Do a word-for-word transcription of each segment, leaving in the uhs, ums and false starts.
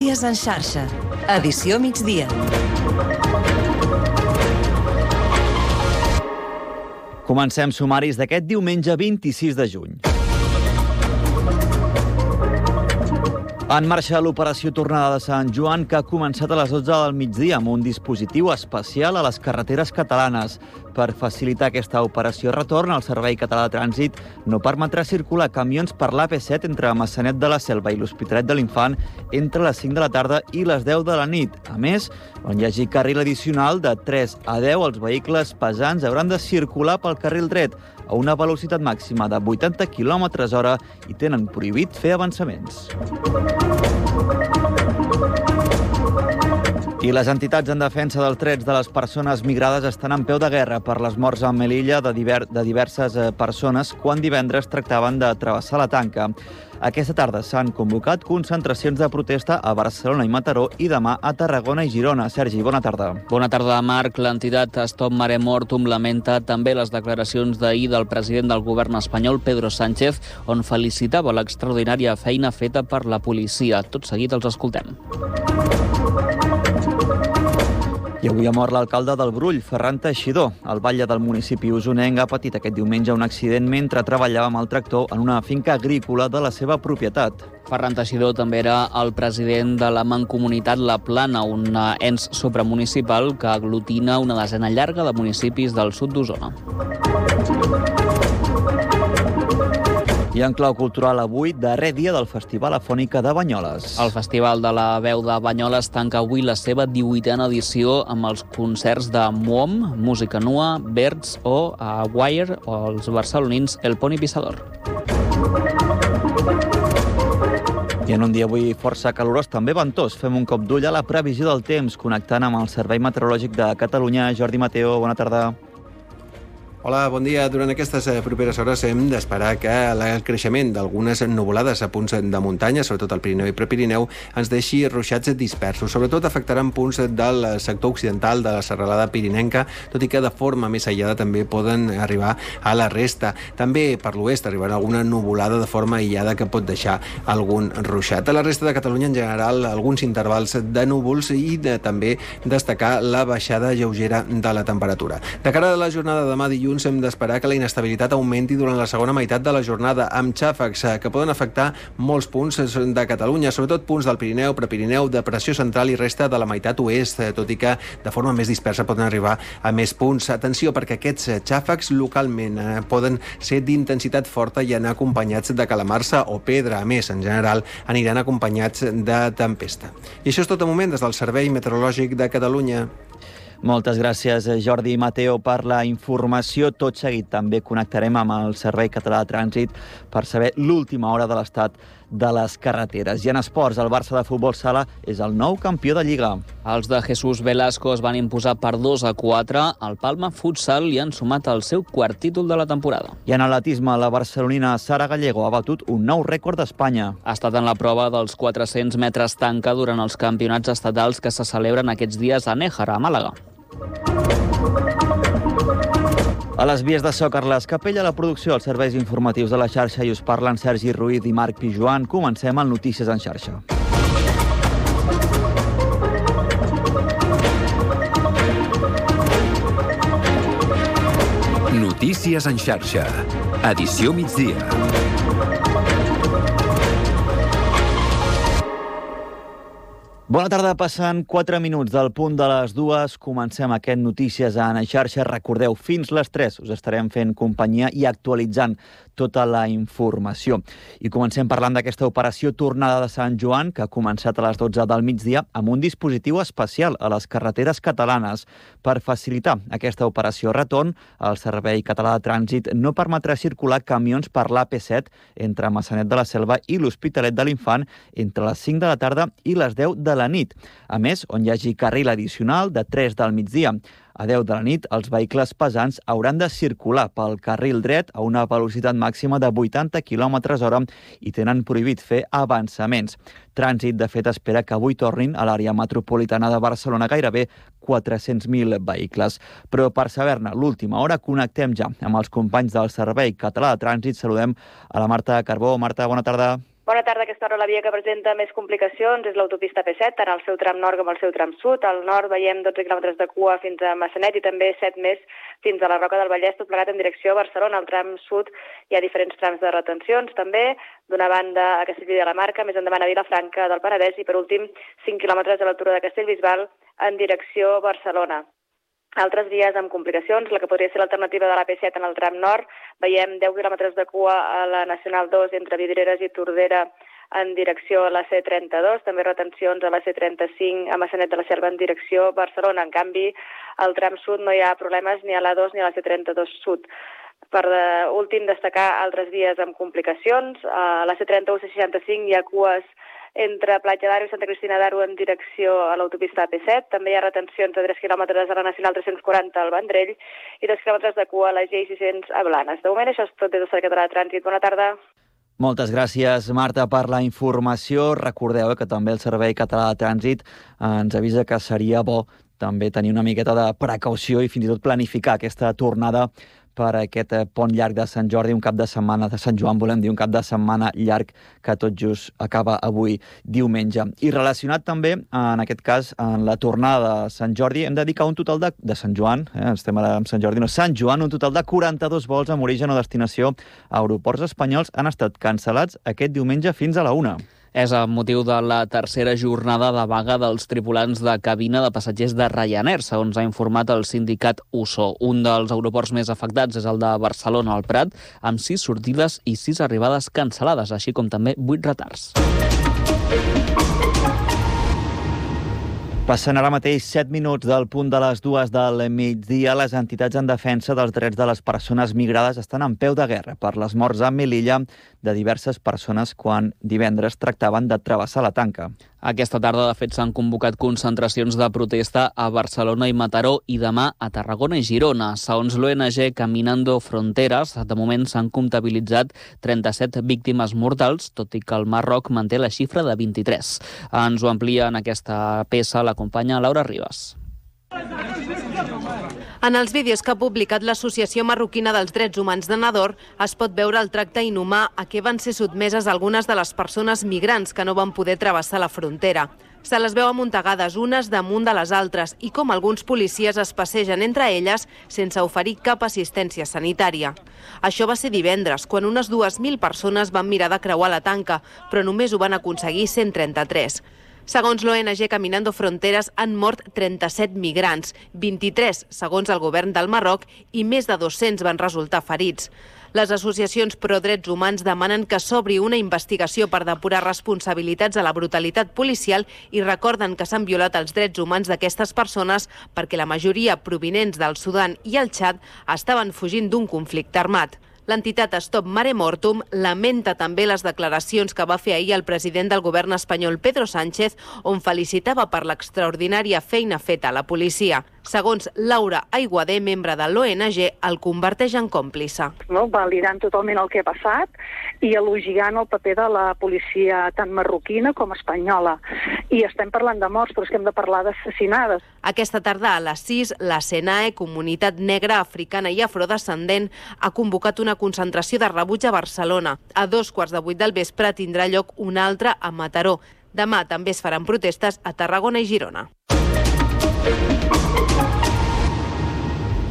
Notícies en xarxa. Edició migdia. Comencem sumaris d'aquest diumenge vint-i-sis de juny. En marxa l'operació Tornada de Sant Joan, que ha començat a les dotze del migdia amb un dispositiu especial a les carreteres catalanes. Per facilitar aquesta operació retorn, el Servei Català de Trànsit no permetrà circular camions per l'A P set entre Maçanet de la Selva i l'Hospitalet de l'Infant entre les cinc de la tarda i les deu de la nit. A més, on hi hagi carril addicional de tres a deu, els vehicles pesants hauran de circular pel carril dret a una velocitat màxima de vuitanta quilòmetres hora i tenen prohibit fer avançaments. I les entitats en defensa dels drets de les persones migrades estan en peu de guerra per les morts a Melilla de, diver de diverses persones quan divendres tractaven de travessar la tanca. Aquesta tarda s'han convocat concentracions de protesta a Barcelona i Mataró i demà a Tarragona i Girona. Sergi, bona tarda. Bona tarda, Marc. L'entitat Stop Mare Mortum lamenta també les declaracions d'ahir del president del govern espanyol, Pedro Sánchez, on felicitava l'extraordinària feina feta per la policia. Tot seguit els escoltem. I avui ha mort l'alcalde del Brull, Ferran Teixidor. El batlle del municipi usonenc ha patit aquest diumenge un accident mentre treballava amb el tractor en una finca agrícola de la seva propietat. Ferran Teixidor també era el president de la Mancomunitat La Plana, un ens supramunicipal que aglutina una desena llarga de municipis del sud d'Osona. I en clau cultural avui, darrer dia del Festival Afònica de Banyoles. El Festival de la Veu de Banyoles tanca avui la seva divuitena edició amb els concerts de Muom, Música Nua, Birds o a Wire o els barcelonins El Poni Pissador. I en un dia avui força calorós, també ventós, fem un cop d'ull a la previsió del temps, connectant amb el Servei Meteorològic de Catalunya. Jordi Mateo, bona tarda. Hola, bon dia. Durant aquestes properes hores hem d'esperar que el creixement d'algunes nuvolades a punts de muntanya, sobretot al Pirineu i Prepirineu, ens deixi ruixats dispersos. Sobretot afectaran punts del sector occidental de la serralada pirinenca, tot i que de forma més aïllada també poden arribar a la resta. També per l'oest arribarà alguna nuvolada de forma aïllada que pot deixar algun ruixat. A la resta de Catalunya, en general, alguns intervals de núvols i de, també destacar la baixada lleugera de la temperatura. De cara a la jornada de demà dilluns, hem d'esperar que la inestabilitat augmenti durant la segona meitat de la jornada, amb xàfecs que poden afectar molts punts de Catalunya, sobretot punts del Pirineu, Prepirineu, Depressió Central i resta de la meitat oest, tot i que de forma més dispersa poden arribar a més punts. Atenció, perquè aquests xàfecs localment poden ser d'intensitat forta i anar acompanyats de calamarsa o pedra. A més, en general, aniran acompanyats de tempesta. I això és tot de moment des del Servei Meteorològic de Catalunya. Moltes gràcies, Jordi Mateo, per la informació. Tot seguit també connectarem amb el Servei Català de Trànsit per saber l'última hora de l'estat de les carreteres. I en esports, el Barça de futbol sala és el nou campió de Lliga. Els de Jesús Velasco es van imposar per dos a quatre. Al Palma Futsal li han sumat el seu quart títol de la temporada. I en atletisme, la barcelonina Sara Gallego ha batut un nou rècord d'Espanya. Ha estat en la prova dels quatre-cents metres tanca durant els campionats estatals que se celebren aquests dies a Néjera, a Màlaga. A les vies de so, Carles Capella, la producció, els serveis informatius de la xarxa, i us parlen Sergi Ruiz i Marc Pijuan. Comencem amb Notícies en xarxa. Notícies en xarxa. Edició migdia. Bona tarda, passen quatre minuts del punt de les dues. Comencem aquest Notícies en xarxa. Recordeu, fins les tres us estarem fent companyia i actualitzant tota la informació. I comencem parlant d'aquesta operació Tornada de Sant Joan, que ha començat a les dotze del migdia amb un dispositiu especial a les carreteres catalanes. Per facilitar aquesta operació retorn, el Servei Català de Trànsit no permetrà circular camions per l'A P set entre Maçanet de la Selva i l'Hospitalet de l'Infant entre les cinc de la tarda i les deu de la nit. A més, on hi hagi carril addicional de tres del migdia a deu de la nit, els vehicles pesants hauran de circular pel carril dret a una velocitat màxima de vuitanta quilòmetres hora i tenen prohibit fer avançaments. Trànsit, de fet, espera que avui tornin a l'àrea metropolitana de Barcelona gairebé quatre-cents mil vehicles. Però per saber-ne l'última hora, connectem ja amb els companys del Servei Català de Trànsit. Saludem a la Marta Carbó. Marta, bona tarda. Bona tarda. Aquesta hora la via que presenta més complicacions és l'autopista P set, tant al seu tram nord com al seu tram sud. Al nord veiem dotze quilòmetres de cua fins a Massanet i també set més fins a la Roca del Vallès, tot plegat en direcció a Barcelona. Al tram sud hi ha diferents trams de retencions, també d'una banda a Castellví de la Marca, més endavant a Vilafranca del Penedès i, per últim, cinc quilòmetres a l'altura de Castellbisbal en direcció a Barcelona. Altres vies amb complicacions, la que podria ser l'alternativa de la P set en el tram nord, veiem deu quilòmetres de cua a la Nacional dos entre Vidreres i Tordera en direcció a la C trenta-dos, també retencions a la C trenta-cinc a Massanet de la Selva en direcció a Barcelona. En canvi, al tram sud no hi ha problemes ni a l'A dos ni a la C trenta-dos sud. Per últim, destacar altres vies amb complicacions. A la C trenta-u C seixanta-cinc hi ha cues entre Platja d'Aro i Santa Cristina d'Aro en direcció a l'autopista P set. També hi ha retencions de tres quilòmetres a la Nacional tres-cents quaranta al Vendrell i dos quilòmetres de cua a la G sis-cents a Blanes. De moment, això és tot des del Servei Català de Trànsit. Bona tarda. Moltes gràcies, Marta, per la informació. Recordeu que també el Servei Català de Trànsit ens avisa que seria bo també tenir una miqueta de precaució i fins i tot planificar aquesta tornada per aquest pont llarg de Sant Jordi, un cap de setmana de Sant Joan, volem dir, un cap de setmana llarg que tot just acaba avui diumenge. I relacionat també, en aquest cas, en la tornada de Sant Jordi, hem de dedicar un total de, de Sant Joan, eh, estem ara amb Sant Jordi, no, Sant Joan, un total de quaranta-dos vols amb origen o destinació a aeroports espanyols han estat cancel·lats aquest diumenge fins a la una. És el motiu de la tercera jornada de vaga dels tripulants de cabina de passatgers de Ryanair, segons ha informat el sindicat U S O. Un dels aeroports més afectats és el de Barcelona al Prat, amb sis sortides i sis arribades cancel·lades, així com també vuit retards. Passen ara mateix set minuts del punt de les dues del migdia. Les entitats en defensa dels drets de les persones migrades estan en peu de guerra per les morts a Melilla de diverses persones quan divendres tractaven de travessar la tanca. Aquesta tarda, de fet, s'han convocat concentracions de protesta a Barcelona i Mataró i demà a Tarragona i Girona. Segons l'O N G Caminando Fronteras, de moment s'han comptabilitzat trenta-set víctimes mortals, tot i que el Marroc manté la xifra de vint-i-tres. Ens ho amplia en aquesta peça la companya Laura Ribas. En els vídeos que ha publicat l'Associació Marroquina dels Drets Humans de Nador es pot veure el tracte inhumà a què van ser sotmeses algunes de les persones migrants que no van poder travessar la frontera. Se les veu amuntegades unes damunt de les altres i com alguns policies es passegen entre elles sense oferir cap assistència sanitària. Això va ser divendres, quan unes dues mil persones van mirar de creuar la tanca, però només ho van aconseguir cent trenta-tres. Segons l'O N G Caminando Fronteras, han mort trenta-set migrants, vint-i-tres segons el govern del Marroc i més de dos-cents van resultar ferits. Les associacions pro-drets humans demanen que s'obri una investigació per depurar responsabilitats a la brutalitat policial i recorden que s'han violat els drets humans d'aquestes persones perquè la majoria provinents del Sudan i el Txad estaven fugint d'un conflicte armat. L'entitat Stop Mare Mortum lamenta també les declaracions que va fer ahir el president del govern espanyol, Pedro Sánchez, on felicitava per l'extraordinària feina feta a la policia. Segons Laura Aiguader, membre de l'O N G, el converteix en còmplice. No, validant totalment el que ha passat i elogiant el paper de la policia tant marroquina com espanyola. I estem parlant de morts, però és que hem de parlar d'assassinades. Aquesta tarda a les sis, la SENAE, Comunitat Negra, Africana i Afrodescendent, ha convocat una concentració de rebuig a Barcelona. A dos quarts de vuit del vespre tindrà lloc una altra a Mataró. Demà també es faran protestes a Tarragona i Girona.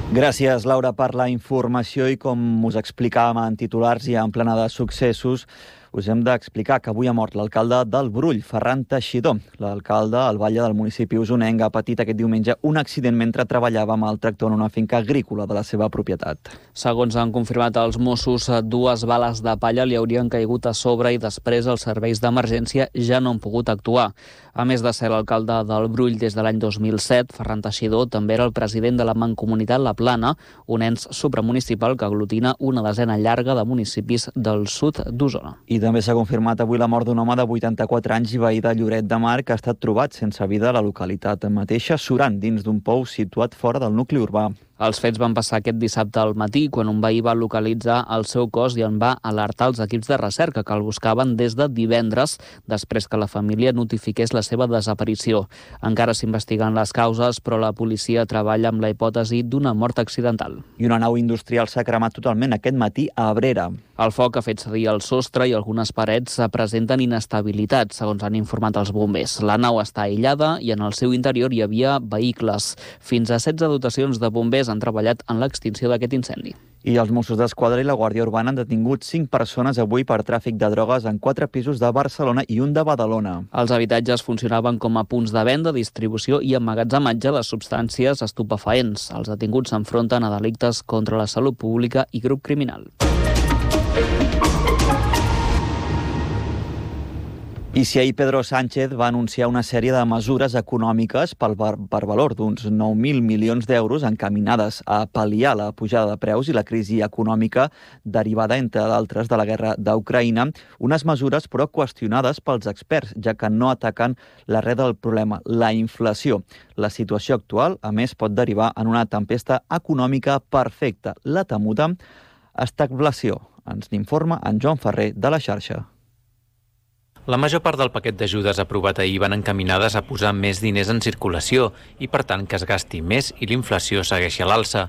Gràcies, Laura, per la informació i com us explicàvem en titulars i en plana de successos, us hem d'explicar que avui ha mort l'alcalde del Brull, Ferran Teixidor. L'alcalde, al batlle del municipi usonenc, ha patit aquest diumenge un accident mentre treballava amb el tractor en una finca agrícola de la seva propietat. Segons han confirmat els Mossos, dues bales de palla li haurien caigut a sobre i després els serveis d'emergència ja no han pogut actuar. A més de ser l'alcalde del Brull des de l'any dos mil set, Ferran Teixidor també era el president de la Mancomunitat La Plana, un ens supramunicipal que aglutina una desena llarga de municipis del sud d'Osona. I també s'ha confirmat avui la mort d'un home de vuitanta-quatre anys i veí de Lloret de Mar que ha estat trobat sense vida a la localitat mateixa, surant dins d'un pou situat fora del nucli urbà. Els fets van passar aquest dissabte al matí, quan un veí va localitzar el seu cos i en va alertar els equips de recerca que el buscaven des de divendres, després que la família notifiqués la seva desaparició. Encara s'investiguen les causes, però la policia treballa amb la hipòtesi d'una mort accidental. I una nau industrial s'ha cremat totalment aquest matí a Abrera. El foc ha fet cedir el sostre i algunes parets presenten inestabilitat, segons han informat els bombers. La nau està aïllada i en el seu interior hi havia vehicles. Fins a setze dotacions de bombers han treballat en l'extinció d'aquest incendi. I els Mossos d'Esquadra i la Guàrdia Urbana han detingut cinc persones avui per tràfic de drogues en quatre pisos de Barcelona i un de Badalona. Els habitatges funcionaven com a punts de venda, distribució i emmagatzematge de substàncies estupefaents. Els detinguts s'enfronten a delictes contra la salut pública i grup criminal. I si ahir Pedro Sánchez va anunciar una sèrie de mesures econòmiques per, per valor d'uns nou mil milions d'euros encaminades a pal·liar la pujada de preus i la crisi econòmica derivada, entre d'altres, de la guerra d'Ucraïna, unes mesures però qüestionades pels experts, ja que no ataquen l'arrel del problema, la inflació. La situació actual, a més, pot derivar en una tempesta econòmica perfecta, la temuda estagflació. Ens n'informa en Joan Ferrer de la xarxa. La major part del paquet d'ajudes aprovat ahir van encaminades a posar més diners en circulació i, per tant, que es gasti més i l'inflació segueixi a l'alça.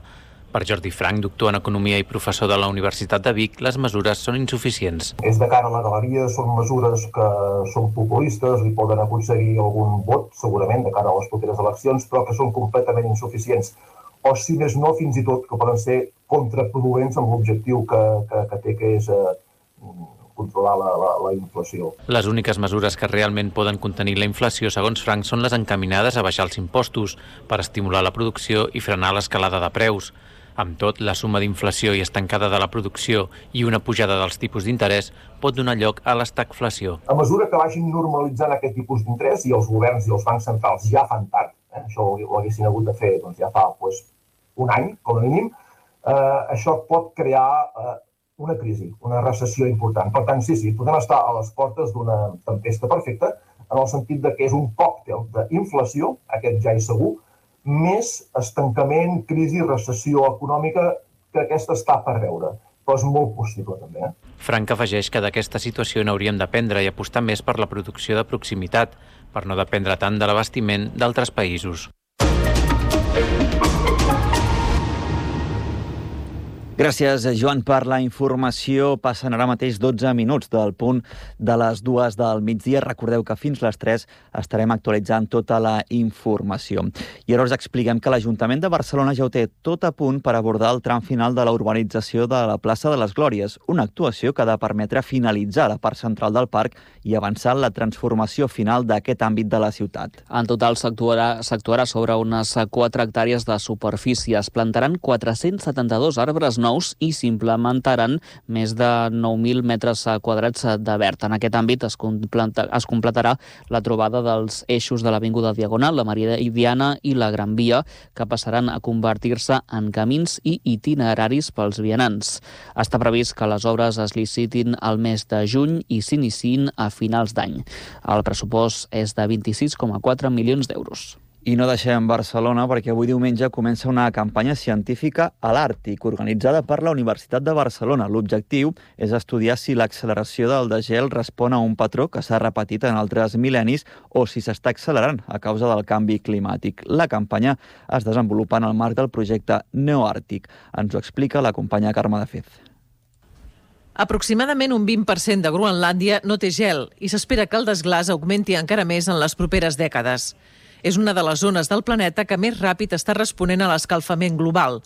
Per Jordi Frank, doctor en Economia i professor de la Universitat de Vic, les mesures són insuficients. És de cara a la galeria, són mesures que són populistes i poden aconseguir algun vot, segurament, de cara a les properes eleccions, però que són completament insuficients. O, si més no, fins i tot, que poden ser contraproduents amb l'objectiu que, que, que té, que és eh, controlar la, la, la inflació. Les úniques mesures que realment poden contenir la inflació, segons Frank, són les encaminades a baixar els impostos per estimular la producció i frenar l'escalada de preus. Amb tot, la suma d'inflació i estancada de la producció i una pujada dels tipus d'interès pot donar lloc a l'estagflació. A mesura que vagin normalitzant aquest tipus d'interès, i els governs i els bancs centrals ja fan tard, eh, això ho haguessin hagut de fer doncs, ja fa pues, un any, com a mínim, eh, això pot crear eh, una crisi, una recessió important. Per tant, sí, sí, podem estar a les portes d'una tempesta perfecta, en el sentit de que és un còctel d'inflació, aquest ja és segur, més estancament, crisi, recessió econòmica, que aquesta està per veure. Però és molt possible, també. Eh? Frank afegeix que d'aquesta situació n'hauríem d'aprendre i apostar més per la producció de proximitat, per no dependre tant de l'abastiment d'altres països. Gràcies, Joan, per la informació. Passen ara mateix dotze minuts del punt de les dues del migdia. Recordeu que fins les tres estarem actualitzant tota la informació. I ara us expliquem que l'Ajuntament de Barcelona ja ho té tot a punt per abordar el tram final de la urbanització de la plaça de les Glòries, una actuació que ha de permetre finalitzar la part central del parc i avançar en la transformació final d'aquest àmbit de la ciutat. En total s'actuarà, s'actuarà sobre unes quatre hectàrees de superfície. Es plantaran quatre-cents setanta-dos arbres nous i s'implementaran més de nou mil metres quadrats de verd. En aquest àmbit es, completa, es completarà la trobada dels eixos de l'Avinguda Diagonal, la Meridiana i la Gran Via, que passaran a convertir-se en camins i itineraris pels vianants. Està previst que les obres es licitin al mes de juny i s'iniciïn a finals d'any. El pressupost és de vint-i-sis coma quatre milions d'euros. I no deixem Barcelona perquè avui diumenge comença una campanya científica a l'Àrtic organitzada per la Universitat de Barcelona. L'objectiu és estudiar si l'acceleració del degel respon a un patró que s'ha repetit en altres mil·lennis o si s'està accelerant a causa del canvi climàtic. La campanya es desenvolupa en el marc del projecte Neoàrtic. Ens ho explica la companya Carme de Fez. Aproximadament un vint per cent de Groenlàndia no té gel i s'espera que el desglàs augmenti encara més en les properes dècades. És una de les zones del planeta que més ràpid està responent a l'escalfament global.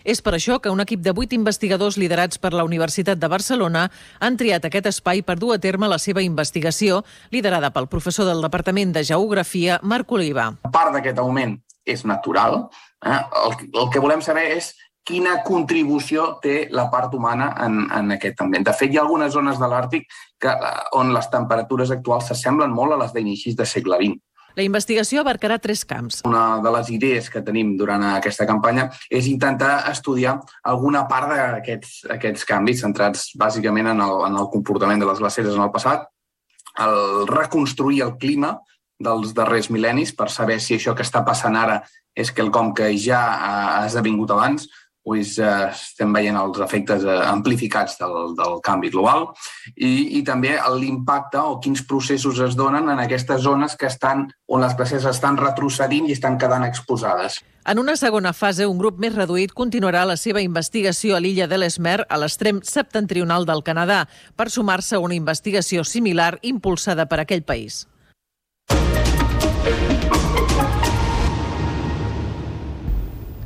És per això que un equip de vuit investigadors liderats per la Universitat de Barcelona han triat aquest espai per dur a terme la seva investigació, liderada pel professor del Departament de Geografia, Marc Oliva. Part d'aquest augment és natural. Eh? El, el que volem saber és quina contribució té la part humana en, en aquest ambient. De fet, hi ha algunes zones de l'Àrtic que, on les temperatures actuals s'assemblen molt a les d'inicis del segle vint. La investigació abarcarà tres camps. Una de les idees que tenim durant aquesta campanya és intentar estudiar alguna part d'aquests aquests canvis centrats bàsicament en el, en el comportament de les glaceres en el passat, el reconstruir el clima dels darrers mil·lennis per saber si això que està passant ara és quelcom que ja ha esdevingut abans, pues, eh, estem veient els efectes eh, amplificats del, del canvi global i, i també l'impacte o quins processos es donen en aquestes zones que estan, on les glaceres estan retrocedint i estan quedant exposades. En una segona fase, un grup més reduït continuarà la seva investigació a l'illa d'Ellesmere, a l'extrem septentrional del Canadà, per sumar-se a una investigació similar impulsada per aquell país.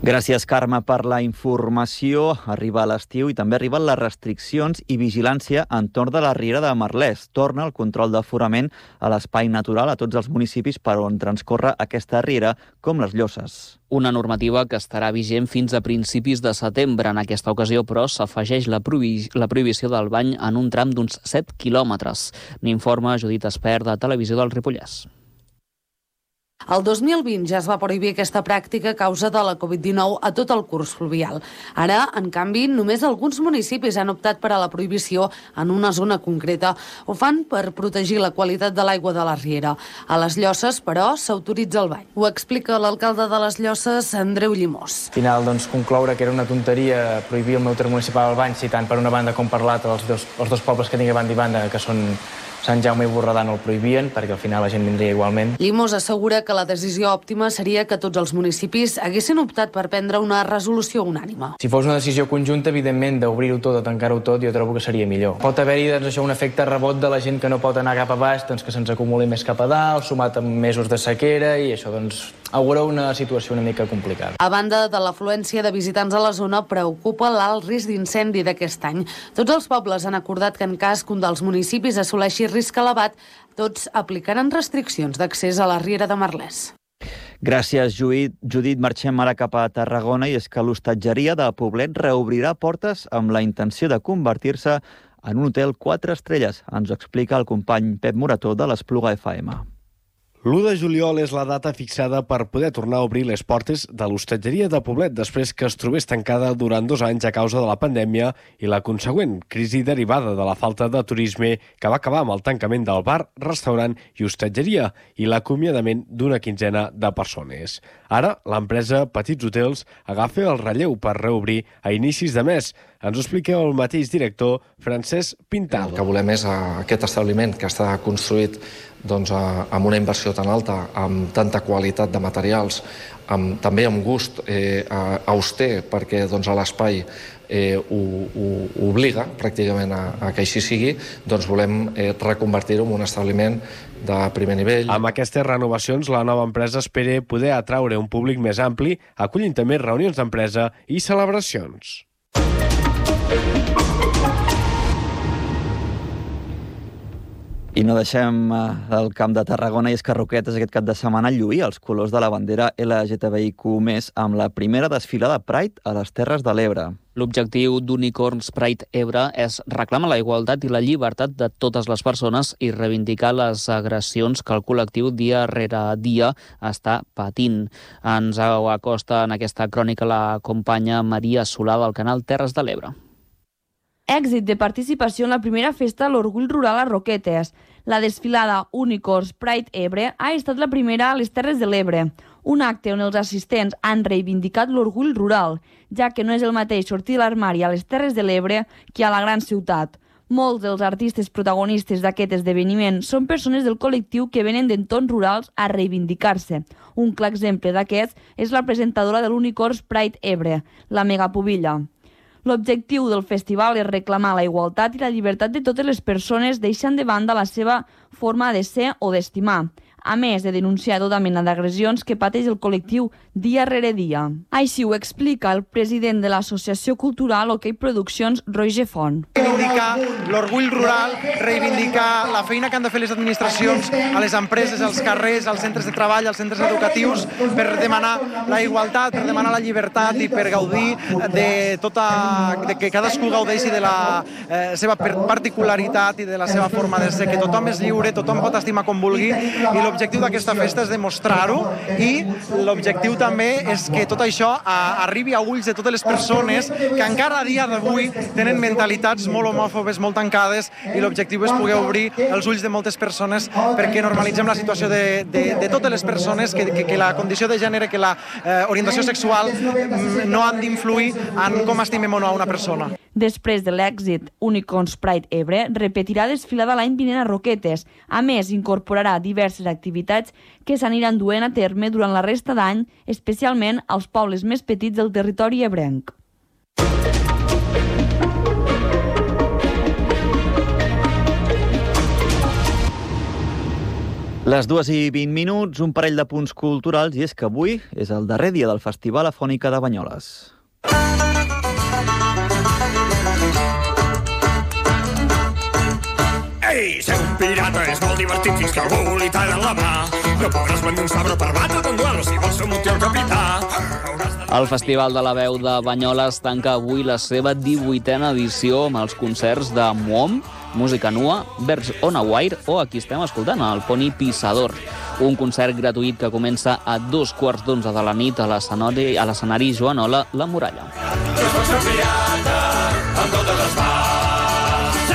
Gràcies, Carme, per la informació. Arriba l'estiu i també arriben les restriccions i vigilància entorn de la Riera de Merlès. Torna el control d'aforament a l'espai natural a tots els municipis per on transcorre aquesta riera, com les Llosses. Una normativa que estarà vigent fins a principis de setembre. En aquesta ocasió, però, s'afegeix la, prohi la prohibició del bany en un tram d'uns set quilòmetres. N'informa Judit Espert, de Televisió del Ripollès. El dos mil vint ja es va prohibir aquesta pràctica a causa de la Covid dinou a tot el curs fluvial. Ara, en canvi, només alguns municipis han optat per a la prohibició en una zona concreta. Ho fan per protegir la qualitat de l'aigua de la riera. A les Llosses, però, s'autoritza el bany. Ho explica l'alcalde de les Llosses, Andreu Llimós. Al final, doncs, concloure que era una tonteria prohibir el meu terme municipal el bany, si tant per una banda com per l'altra, els, dos, els dos pobles que tinc a banda i banda, que són Sant Jaume i Borredà, no el prohibien, perquè al final la gent vindria igualment. Llimós assegura que la decisió òptima seria que tots els municipis haguessin optat per prendre una resolució unànime. Si fos una decisió conjunta, evidentment, d'obrir-ho tot o tancar-ho tot, jo trobo que seria millor. Pot haver-hi doncs, això, un efecte rebot de la gent que no pot anar cap a baix, doncs, que se'ns acumuli més cap a dalt, sumat amb mesos de sequera, i això doncs, augura una situació una mica complicada. A banda de l'afluència de visitants a la zona, preocupa l'alt risc d'incendi d'aquest any. Tots els pobles han acordat que en cas que un dels municipis assoleixi risc elevat, tots aplicaran restriccions d'accés a la Riera de Merlès. Gràcies, Judit. Judit, marxem ara cap a Tarragona, i és que l'hostatgeria de Poblet reobrirà portes amb la intenció de convertir-se en un hotel quatre estrelles. Ens ho explica el company Pep Morató de l'Espluga F M. l'u de juliol és la data fixada per poder tornar a obrir les portes de l'hostatgeria de Poblet després que es trobés tancada durant dos anys a causa de la pandèmia i la consegüent crisi derivada de la falta de turisme que va acabar amb el tancament del bar, restaurant i hostatgeria i l'acomiadament d'una quinzena de persones. Ara, l'empresa Petits Hotels agafa el relleu per reobrir a inicis de mes. Ens ho explica el mateix director, Francesc Pintado. El que volem és aquest establiment que està construït doncs, amb una inversió tan alta, amb tanta qualitat de materials, amb, també amb gust eh, auster, perquè doncs, l'espai eh, ho, ho obliga pràcticament a, a que així sigui, doncs volem eh, reconvertir-ho en un establiment de primer nivell. Amb aquestes renovacions, la nova empresa espera poder atraure un públic més ampli, acollint també reunions d'empresa i celebracions. I no deixem el camp de Tarragona, i és que Roquetes aquest cap de setmana lluïa els colors de la bandera L G T B I Q més, amb la primera desfilada Pride a les Terres de l'Ebre. L'objectiu d'Unicorns Pride Ebre és reclamar la igualtat i la llibertat de totes les persones i reivindicar les agressions que el col·lectiu dia rere dia està patint. Ens acosta en aquesta crònica la companya Maria Solà del canal Terres de l'Ebre. Èxit de participació en la primera festa a l'Orgull Rural a Roquetes. La desfilada Unicorns Pride Ebre ha estat la primera a les Terres de l'Ebre, un acte on els assistents han reivindicat l'orgull rural, ja que no és el mateix sortir de l'armari a les Terres de l'Ebre que a la gran ciutat. Molts dels artistes protagonistes d'aquest esdeveniment són persones del col·lectiu que venen d'entorns rurals a reivindicar-se. Un clar exemple d'aquest és la presentadora de l'Unicorns Pride Ebre, la Megapubilla. L'objectiu del festival és reclamar la igualtat i la llibertat de totes les persones, deixant de banda la seva forma de ser o d'estimar, a més de denunciar tota mena d'agressions que pateix el col·lectiu dia rere dia. Així ho explica el president de l'Associació Cultural OK Produccions, Roger Font. Reivindicar l'orgull rural, reivindicar la feina que han de fer les administracions a les empreses, als carrers, als centres de treball, als centres educatius, per demanar la igualtat, per demanar la llibertat i per gaudir de tota, de que cadascú gaudeixi de la eh, seva particularitat i de la seva forma de ser, que tothom és lliure, tothom pot estimar com vulgui, i l'objectiu d'aquesta festa és demostrar-ho i l'objectiu també és que tot això arribi a ulls de totes les persones que encara a dia d'avui tenen mentalitats molt homòfobes, molt tancades, i l'objectiu és poder obrir els ulls de moltes persones perquè normalitzem la situació de, de, de totes les persones, que, que, que la condició de gènere, que la eh, orientació sexual no han d'influir en com estimem o no a una persona. Després de l'èxit Unicorns Pride Ebre, repetirà desfilada l'any vinent a Roquetes. A més, incorporarà diverses activitats que s'aniran duent a terme durant la resta d'any, especialment als pobles més petits del territori ebrenc. Les dues i vint minuts, un parell de punts culturals, i és que avui és el darrer dia del Festival Afònica de Banyoles. Ei, ser un pirata és molt divertit fins que algú li talla la mà. No podràs venir un sabre per batre't en duel si vols ser un el capità. El Festival de la Veu de Banyoles tanca avui la seva divuitena edició amb els concerts de Muom, Música Nua, Birds on a Wire o aquí estem escoltant el Poni Pissador. Un concert gratuït que comença a dos quarts d'onze de la nit a l'escenari a l'escenari Joanola, La Muralla. No pots ser pirata amb totes les parts.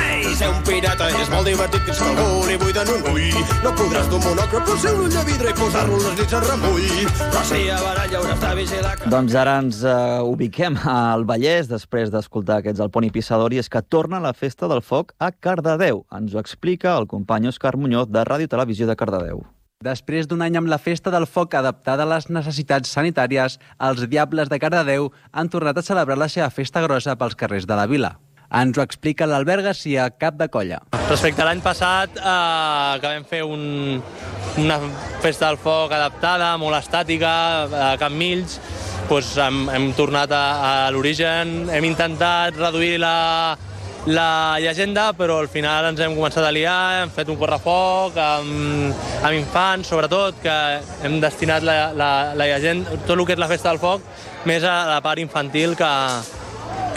Ei, ser un pirata és molt divertit fins que algú li buiden un ull. No podràs d'un monocle per ser un ull de vidre i posar-lo les nits en remull. Però si a baralla hauràs de vigilar... Doncs ara ens uh, ubiquem al Vallès després d'escoltar aquests del Poni Pissador, i és que torna la Festa del Foc a Cardedeu. Ens ho explica el company Òscar Muñoz de Ràdio Televisió de Cardedeu. Després d'un any amb la Festa del Foc adaptada a les necessitats sanitàries, els Diables de Cardedeu han tornat a celebrar la seva festa grossa pels carrers de la vila. Ens ho explica l'Albert Garcia, cap de colla. Respecte a l'any passat, eh, que vam fer un, una Festa del Foc adaptada, molt estàtica, a Can Mills, doncs hem, hem tornat a, a l'origen, hem intentat reduir la... la llegenda, però al final ens hem començat a liar, hem fet un correfoc amb, amb infants, sobretot, que hem destinat la, la, la llegenda, tot el que és la Festa del Foc, més a la part infantil que,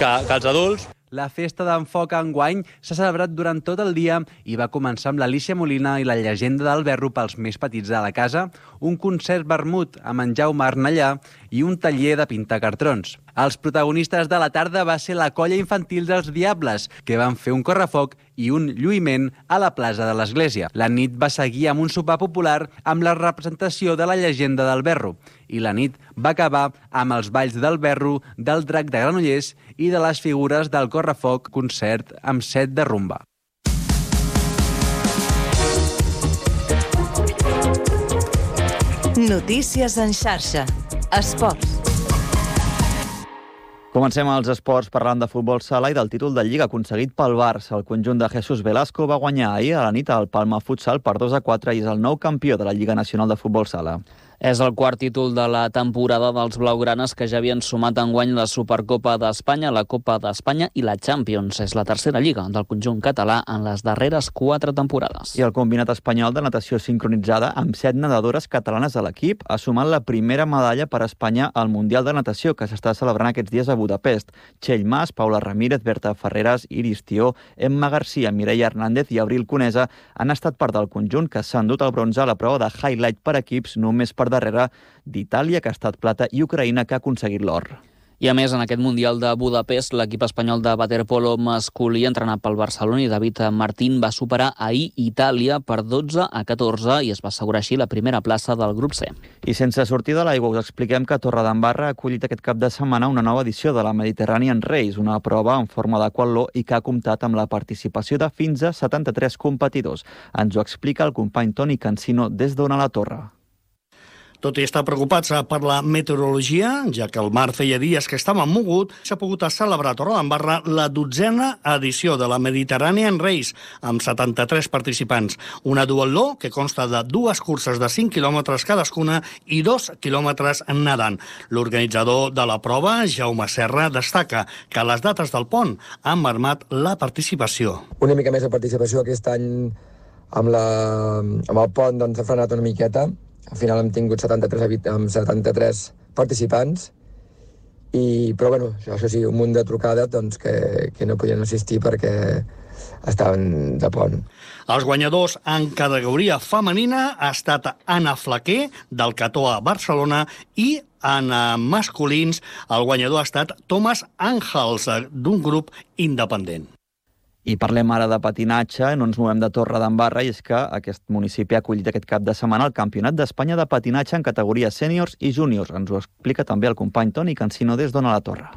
que, que als adults. La festa d'en Foc enguany s'ha celebrat durant tot el dia i va començar amb l'Alícia Molina i la llegenda del Berro pels més petits de la casa, un concert vermut amb en Jaume Arnellà i un taller de pintar cartrons. Els protagonistes de la tarda va ser la colla infantil dels Diables, que van fer un correfoc i un lluïment a la plaça de l'Església. La nit va seguir amb un sopar popular amb la representació de la llegenda del Berro, i la nit va acabar amb els balls del Berro, del Drac de Granollers i de les figures del correfoc, concert amb set de rumba. Notícies en xarxa. Esports. Comencem els esports parlant de futbol sala i del títol de Lliga aconseguit pel Barça. El conjunt de Jesús Velasco va guanyar ahir a la nit al Palma Futsal per dos a quatre i és el nou campió de la Lliga Nacional de Futbol Sala. És el quart títol de la temporada dels blaugranes, que ja havien sumat enguany la Supercopa d'Espanya, la Copa d'Espanya i la Champions. És la tercera lliga del conjunt català en les darreres quatre temporades. I el combinat espanyol de natació sincronitzada, amb set nedadores catalanes a l'equip, ha sumat la primera medalla per a Espanya al Mundial de Natació, que s'està celebrant aquests dies a Budapest. Txell Mas, Paula Ramírez, Berta Ferreras, Iris Tió, Emma Garcia, Mireia Hernández i Abril Conesa han estat part del conjunt que s'ha endut el bronze a la prova de highlight per equips, només per darrere d'Itàlia, que ha estat plata, i Ucraïna, que ha aconseguit l'or. I a més, en aquest Mundial de Budapest, l'equip espanyol de waterpolo masculí, entrenat pel Barcelona i David Martín, va superar ahir Itàlia per dotze a catorze i es va assegurar així la primera plaça del grup C. I sense sortir de l'aigua, us expliquem que Torredembarra ha acollit aquest cap de setmana una nova edició de la Mediterranean Race, una prova en forma d'aquatló i que ha comptat amb la participació de fins a setanta-tres competidors. Ens ho explica el company Toni Cancino des d'Ona la Torre. Tot i estar preocupats per la meteorologia, ja que el mar feia dies que estava mogut, s'ha pogut celebrar a Torredembarra la dotzena edició de la Mediterranean Race, amb setanta-tres participants. Una duatló que consta de dues curses de cinc quilòmetres cadascuna i dos quilòmetres nedant. L'organitzador de la prova, Jaume Serra, destaca que les dates del pont han marmat la participació. Una mica més de participació aquest any amb, la, amb el pont, doncs ha frenat una miqueta. Al final hem tingut setanta-tres, amb setanta-tres participants, i, però bueno, això sí, un munt de trucades doncs, que, que no podien assistir perquè estaven de pont. Els guanyadors en categoria femenina ha estat Anna Flaquer, del Catoa Barcelona, i en masculins el guanyador ha estat Thomas Àngels, d'un grup independent. I parlem ara de patinatge, no ens movem de Torredembarra, i és que aquest municipi ha acollit aquest cap de setmana el Campionat d'Espanya de patinatge en categories sèniors i júniors. Ens ho explica també el company Toni Cancino des d'Ona la Torre.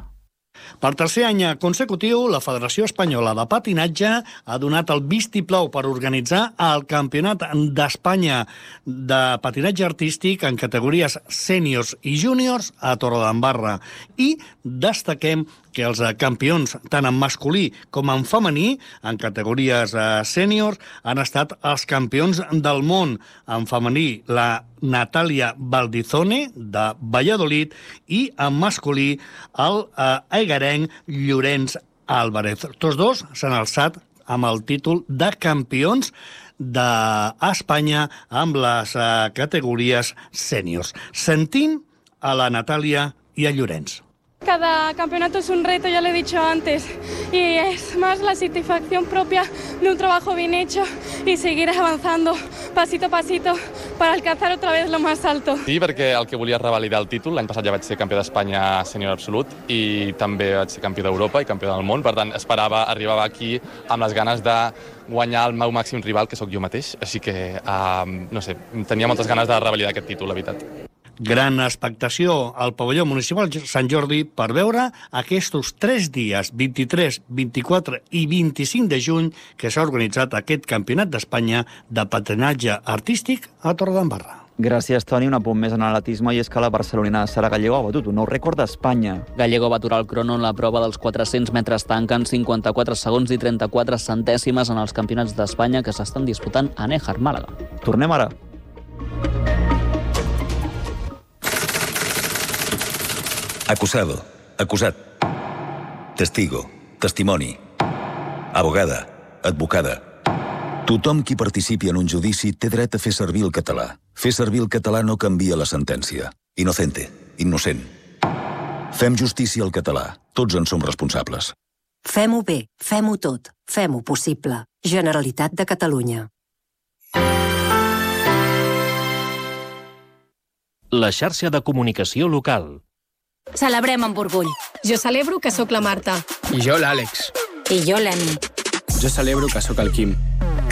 Per tercer any consecutiu, la Federació Espanyola de Patinatge ha donat el vistiplau per organitzar el Campionat d'Espanya de patinatge artístic en categories sèniors i júniors a Torredembarra. I destaquem que els campions, tant en masculí com en femení, en categories sèniors, han estat els campions del món. En femení, la Natàlia Valdizone, de Valladolid, i en masculí, el egarenc Llorenç Álvarez. Tots dos s'han alçat amb el títol de campions d'Espanya amb les categories sèniors. Sentim a la Natàlia i a Llorenç. Cada campeonato es un reto, ya lo he dicho antes, y es más la satisfacción propia de un trabajo bien hecho y seguir avanzando pasito a pasito para alcanzar otra vez lo más alto. Sí, perquè el que volia és revalidar el títol. L'any passat ja vaig ser campió d'Espanya sènior absolut i també vaig ser campió d'Europa i campió del món. Per tant, esperava, arribava aquí amb les ganes de guanyar el meu màxim rival, que sóc jo mateix. Així que, um, no sé, tenia moltes ganes de revalidar aquest títol, la veritat. Gran expectació al pavelló municipal Sant Jordi per veure aquests tres dies, vint-i-tres, vint-i-quatre i vint-i-cinc de juny, que s'ha organitzat aquest Campionat d'Espanya de patinatge artístic a Torredembarra. Gràcies, Toni. Un apunt més en atletisme, i és que la barcelonina Sara Gallego ha batut un nou rècord d'Espanya. Gallego va aturar el crono en la prova dels quatre-cents metres tanca en cinquanta-quatre segons i trenta-quatre centèsimes en els campionats d'Espanya que s'estan disputant a Néjar, Màlaga. Tornem ara. Acusado, acusat, testigo, testimoni, abogada, advocada. Tothom qui participi en un judici té dret a fer servir el català. Fer servir el català no canvia la sentència. Inocente, innocent. Fem justícia al català. Tots en som responsables. Fem-ho bé, fem-ho tot, fem-ho possible. Generalitat de Catalunya. La xarxa de comunicació local. Celebrem amb orgull. Jo celebro que sóc la Marta. I jo l'Àlex. I jo l'Emi. Jo celebro que sóc el Quim.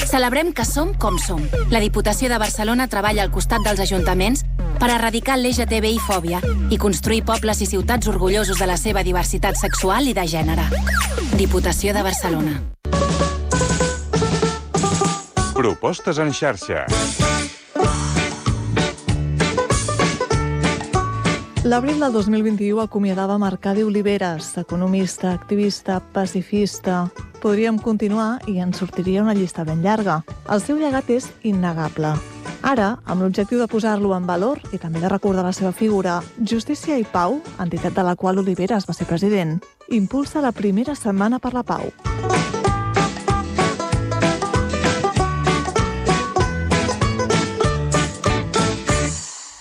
Celebrem que som com som. La Diputació de Barcelona treballa al costat dels ajuntaments per erradicar l'L G T B I-fòbia i construir pobles i ciutats orgullosos de la seva diversitat sexual i de gènere. Diputació de Barcelona. Propostes en xarxa. L'abril del dos mil vint-i-u acomiadava Mercadi Oliveres, economista, activista, pacifista. Podríem continuar i ens sortiria una llista ben llarga. El seu llegat és innegable. Ara, amb l'objectiu de posar-lo en valor i també de recordar la seva figura, Justícia i Pau, entitat de la qual Oliveres va ser president, impulsa la primera Setmana per la Pau.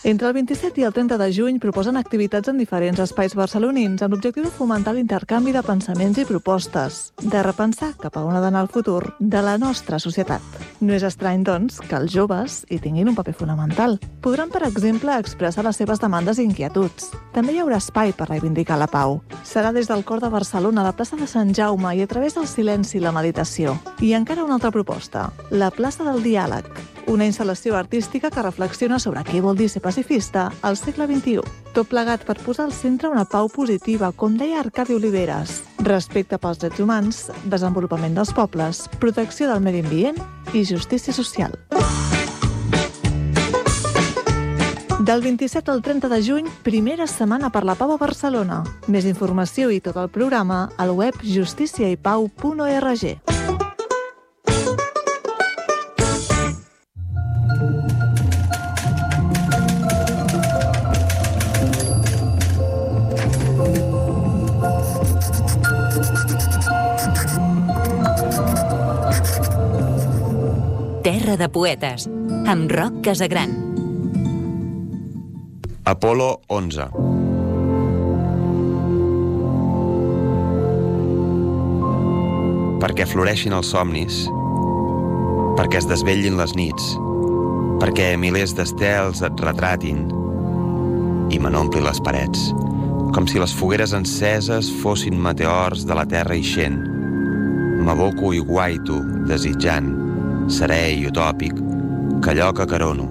Entre el vint-i-set i el trenta de juny proposen activitats en diferents espais barcelonins amb l'objectiu de fomentar l'intercanvi de pensaments i propostes, de repensar cap a on ha d'anar el futur de la nostra societat. No és estrany, doncs, que els joves hi tinguin un paper fonamental. Podran, per exemple, expressar les seves demandes i inquietuds. També hi haurà espai per reivindicar la pau. Serà des del cor de Barcelona, a la plaça de Sant Jaume i a través del silenci i la meditació. I encara una altra proposta, la plaça del diàleg, una instal·lació artística que reflexiona sobre què vol dir ser pacifista al segle vint-i-u. Tot plegat per posar al centre una pau positiva, com deia Arcadi Oliveres, respecte pels drets humans, desenvolupament dels pobles, protecció del medi ambient i justícia social. Del vint-i-set al trenta de juny, primera Setmana per la Pau a Barcelona. Més informació i tot el programa al web justícia i pau punt org. Terra de poetes, amb Roc Casagran. Apolo onze. perquè floreixin els somnis, perquè es desvetllin les nits, perquè milers d'estels et retratin i me n'ompli les parets, com si les fogueres enceses fossin meteors de la terra ixent. M'aboco i guaito, desitjant, serè i utòpic, que allò que carono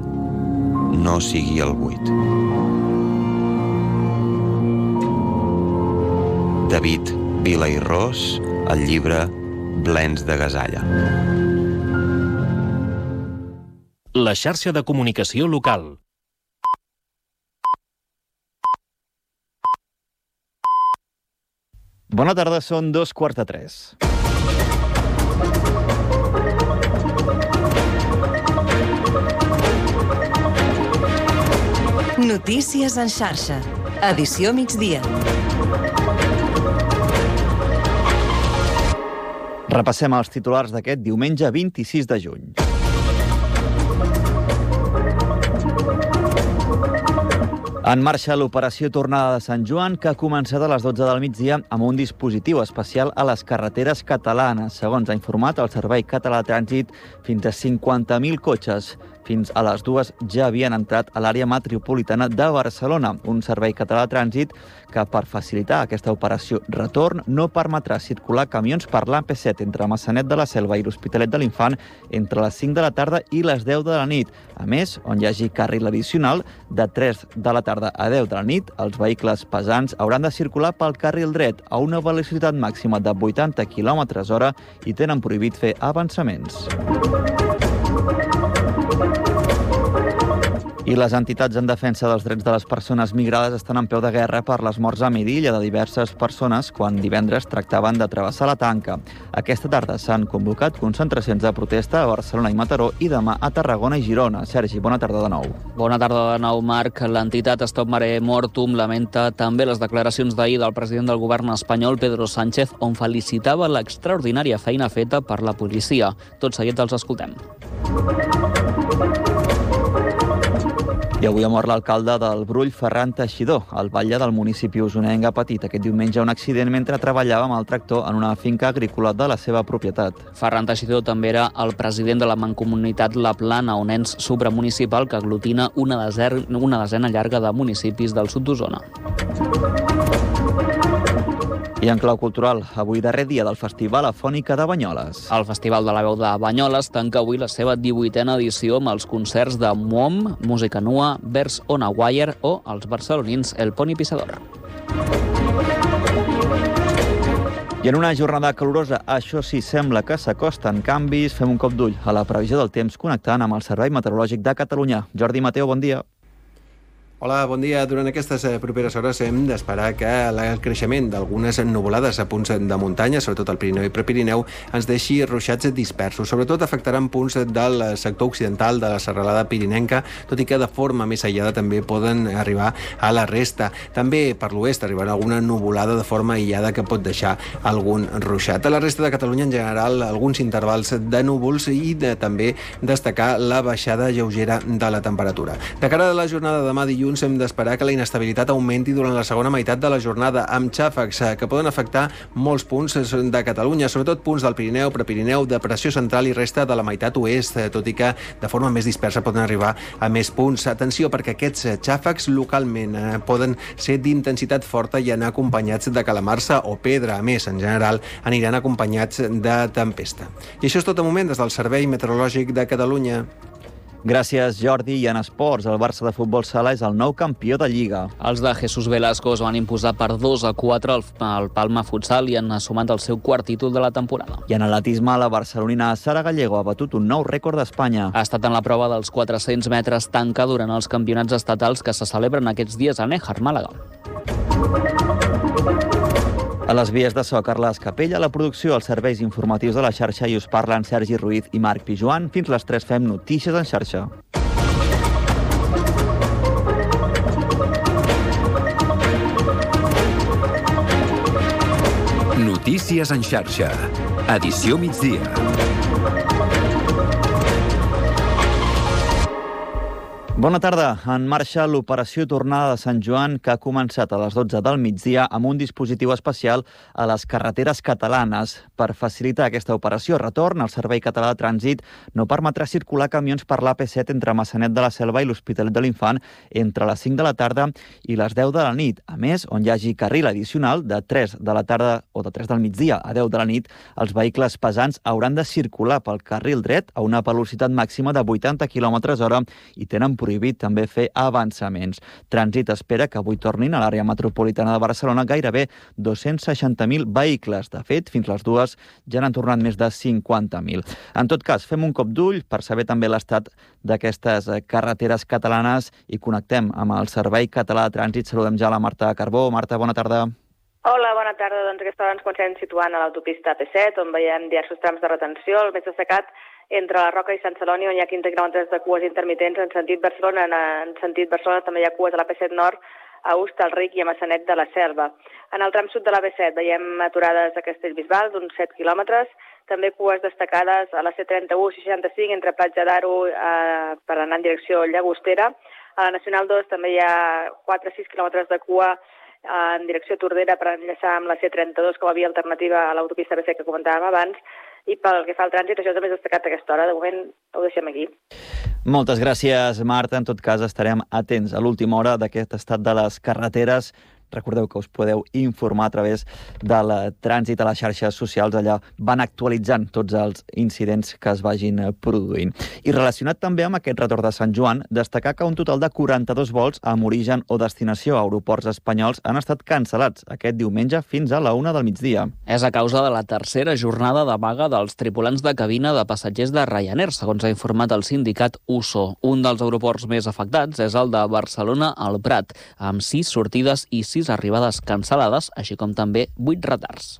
no sigui el buit. David Vila i Ros, el llibre Blens de Gasalla. La xarxa de comunicació local. Bona tarda, són dos quarts de tres. Notícies en xarxa. Edició migdia. Repassem els titulars d'aquest diumenge vint-i-sis de juny. En marxa l'operació Tornada de Sant Joan, que ha començat a les dotze del migdia amb un dispositiu especial a les carreteres catalanes. Segons ha informat el Servei Català de Trànsit, fins a cinquanta mil cotxes fins a les dues ja havien entrat a l'àrea metropolitana de Barcelona. Un servei català de trànsit que, per facilitar aquesta operació retorn, no permetrà circular camions per l'A P set entre Massanet de la Selva i l'Hospitalet de l'Infant entre les cinc de la tarda i les deu de la nit. A més, on hi hagi carril addicional, de tres de la tarda a deu de la nit, els vehicles pesants hauran de circular pel carril dret a una velocitat màxima de vuitanta quilòmetres hora i tenen prohibit fer avançaments. I les entitats en defensa dels drets de les persones migrades estan en peu de guerra per les morts a Midilla de diverses persones quan divendres tractaven de travessar la tanca. Aquesta tarda s'han convocat concentracions de protesta a Barcelona i Mataró i demà a Tarragona i Girona. Sergi, bona tarda de nou. Bona tarda de nou, Marc. L'entitat Stop Mare Mortum lamenta també les declaracions d'ahir del president del govern espanyol, Pedro Sánchez, on felicitava l'extraordinària feina feta per la policia. Tot seguit els escoltem. I avui ha mort l'alcalde del Brull, Ferran Teixidor. El batlle del municipi usonenc ha patit aquest diumenge un accident mentre treballava amb el tractor en una finca agrícola de la seva propietat. Ferran Teixidor també era el president de la mancomunitat La Plana, un ens supramunicipal que aglutina una, deser... una desena llarga de municipis del sud d'Osona. I en clau cultural, avui darrer dia del Festival Afònica de Banyoles. El Festival de la Veu de Banyoles tanca avui la seva divuitena edició amb els concerts de M O M, Música Nua, Vers on a Wire o els barcelonins El Poni Pissador. I en una jornada calorosa, això sí, sembla que s'acosten canvis. Fem un cop d'ull a la previsió del temps connectant amb el Servei Meteorològic de Catalunya. Jordi Mateo, bon dia. Hola, bon dia. Durant aquestes properes hores hem d'esperar que el creixement d'algunes nuvolades a punts de muntanya, sobretot al Pirineu i Prepirineu, ens deixi ruixats dispersos. Sobretot afectaran punts del sector occidental de la serralada pirinenca, tot i que de forma més aïllada també poden arribar a la resta. També per l'oest arribarà alguna nuvolada de forma aïllada que pot deixar algun ruixat. A la resta de Catalunya, en general, alguns intervals de núvols i de, també destacar la baixada lleugera de la temperatura. De cara a la jornada de demà dilluns, hem d'esperar que la inestabilitat augmenti durant la segona meitat de la jornada, amb xàfecs que poden afectar molts punts de Catalunya, sobretot punts del Pirineu, Prepirineu, depressió central i resta de la meitat oest, tot i que de forma més dispersa poden arribar a més punts. Atenció, perquè aquests xàfecs localment poden ser d'intensitat forta i anar acompanyats de calamarsa o pedra. A més, en general, aniran acompanyats de tempesta. I això és tot de moment des del Servei Meteorològic de Catalunya. Gràcies, Jordi. I en esports, el Barça de futbol sala és el nou campió de Lliga. Els de Jesús Velasco es van imposar per dos a quatre al Palma Futsal i han assumat el seu quart títol de la temporada. I en atletisme, la barcelonina Sara Gallego ha batut un nou rècord d'Espanya. Ha estat en la prova dels quatre-cents metres tanca durant els campionats estatals que se celebren aquests dies a Néjar, Màlaga. A les vies de so, Carles Capella, la producció, els serveis informatius de la xarxa, i us parlen Sergi Ruiz i Marc Pijuan. Fins les tres fem notícies en xarxa. Notícies en xarxa. Edició migdia. Bona tarda. En marxa l'operació Tornada de Sant Joan, que ha començat a les dotze del migdia amb un dispositiu especial a les carreteres catalanes. Per facilitar aquesta operació retorn, el Servei Català de Trànsit no permetrà circular camions per l'A P set entre Maçanet de la Selva i l'Hospitalet de l'Infant entre les cinc de la tarda i les deu de la nit. A més, on hi hagi carril addicional de tres de la tarda o de tres del migdia a deu de la nit, els vehicles pesants hauran de circular pel carril dret a una velocitat màxima de vuitanta quilòmetres hora i tenen prohibit també fer avançaments. Trànsit espera que avui tornin a l'àrea metropolitana de Barcelona gairebé dos-cents seixanta mil vehicles. De fet, fins les dues ja n'han tornat més de cinquanta mil. En tot cas, fem un cop d'ull per saber també l'estat d'aquestes carreteres catalanes i connectem amb el Servei Català de Trànsit. Saludem ja la Marta Carbó. Marta, bona tarda. Hola, bona tarda. Doncs aquesta hora ens comencem situant a l'autopista A P set, on veiem diversos trams de retenció. El més destacat entre la Roca i Sant Celoni, on hi ha quinze quilòmetres de cues intermitents en sentit Barcelona. En sentit Barcelona també hi ha cues a l'A P set Nord, a Hostalric i a Maçanet de la Selva. En el tram sud de l'A P set veiem aturades a Castellbisbal d'uns set quilòmetres, també cues destacades a la C trenta-u seixanta-cinc entre Platja d'Aro eh, per anar en direcció Llagostera. A la Nacional dos també hi ha quatre a sis quilòmetres de cua en direcció Tordera per enllaçar amb la C trenta-dos com a via alternativa a l'autopista A P set que comentàvem abans. I pel que fa al trànsit, això també és destacat a aquesta hora. De moment ho deixem aquí. Moltes gràcies, Marta. En tot cas, estarem atents a l'última hora d'aquest estat de les carreteres. Recordeu que us podeu informar a través del trànsit a les xarxes socials. Allà van actualitzant tots els incidents que es vagin produint. I relacionat també amb aquest retorn de Sant Joan, destacar que un total de quaranta-dos vols amb origen o destinació a aeroports espanyols han estat cancel·lats aquest diumenge fins a la una del migdia. És a causa de la tercera jornada de vaga dels tripulants de cabina de passatgers de Ryanair, segons ha informat el sindicat U S O. Un dels aeroports més afectats és el de Barcelona al Prat, amb sis sortides i sis arribades cancel·lades, així com també vuit retards.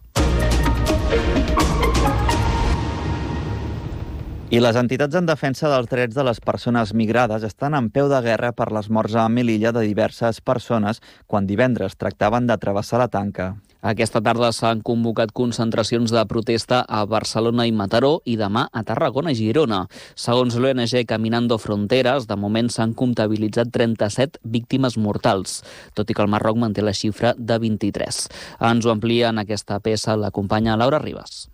I les entitats en defensa dels drets de les persones migrades estan en peu de guerra per les morts a Melilla de diverses persones quan divendres tractaven de travessar la tanca. Aquesta tarda s'han convocat concentracions de protesta a Barcelona i Mataró i demà a Tarragona i Girona. Segons l'O N G Caminando Fronteras, de moment s'han comptabilitzat trenta-set víctimes mortals, tot i que el Marroc manté la xifra de vint-i-tres. Ens ho amplia en aquesta peça la companya Laura Ribas.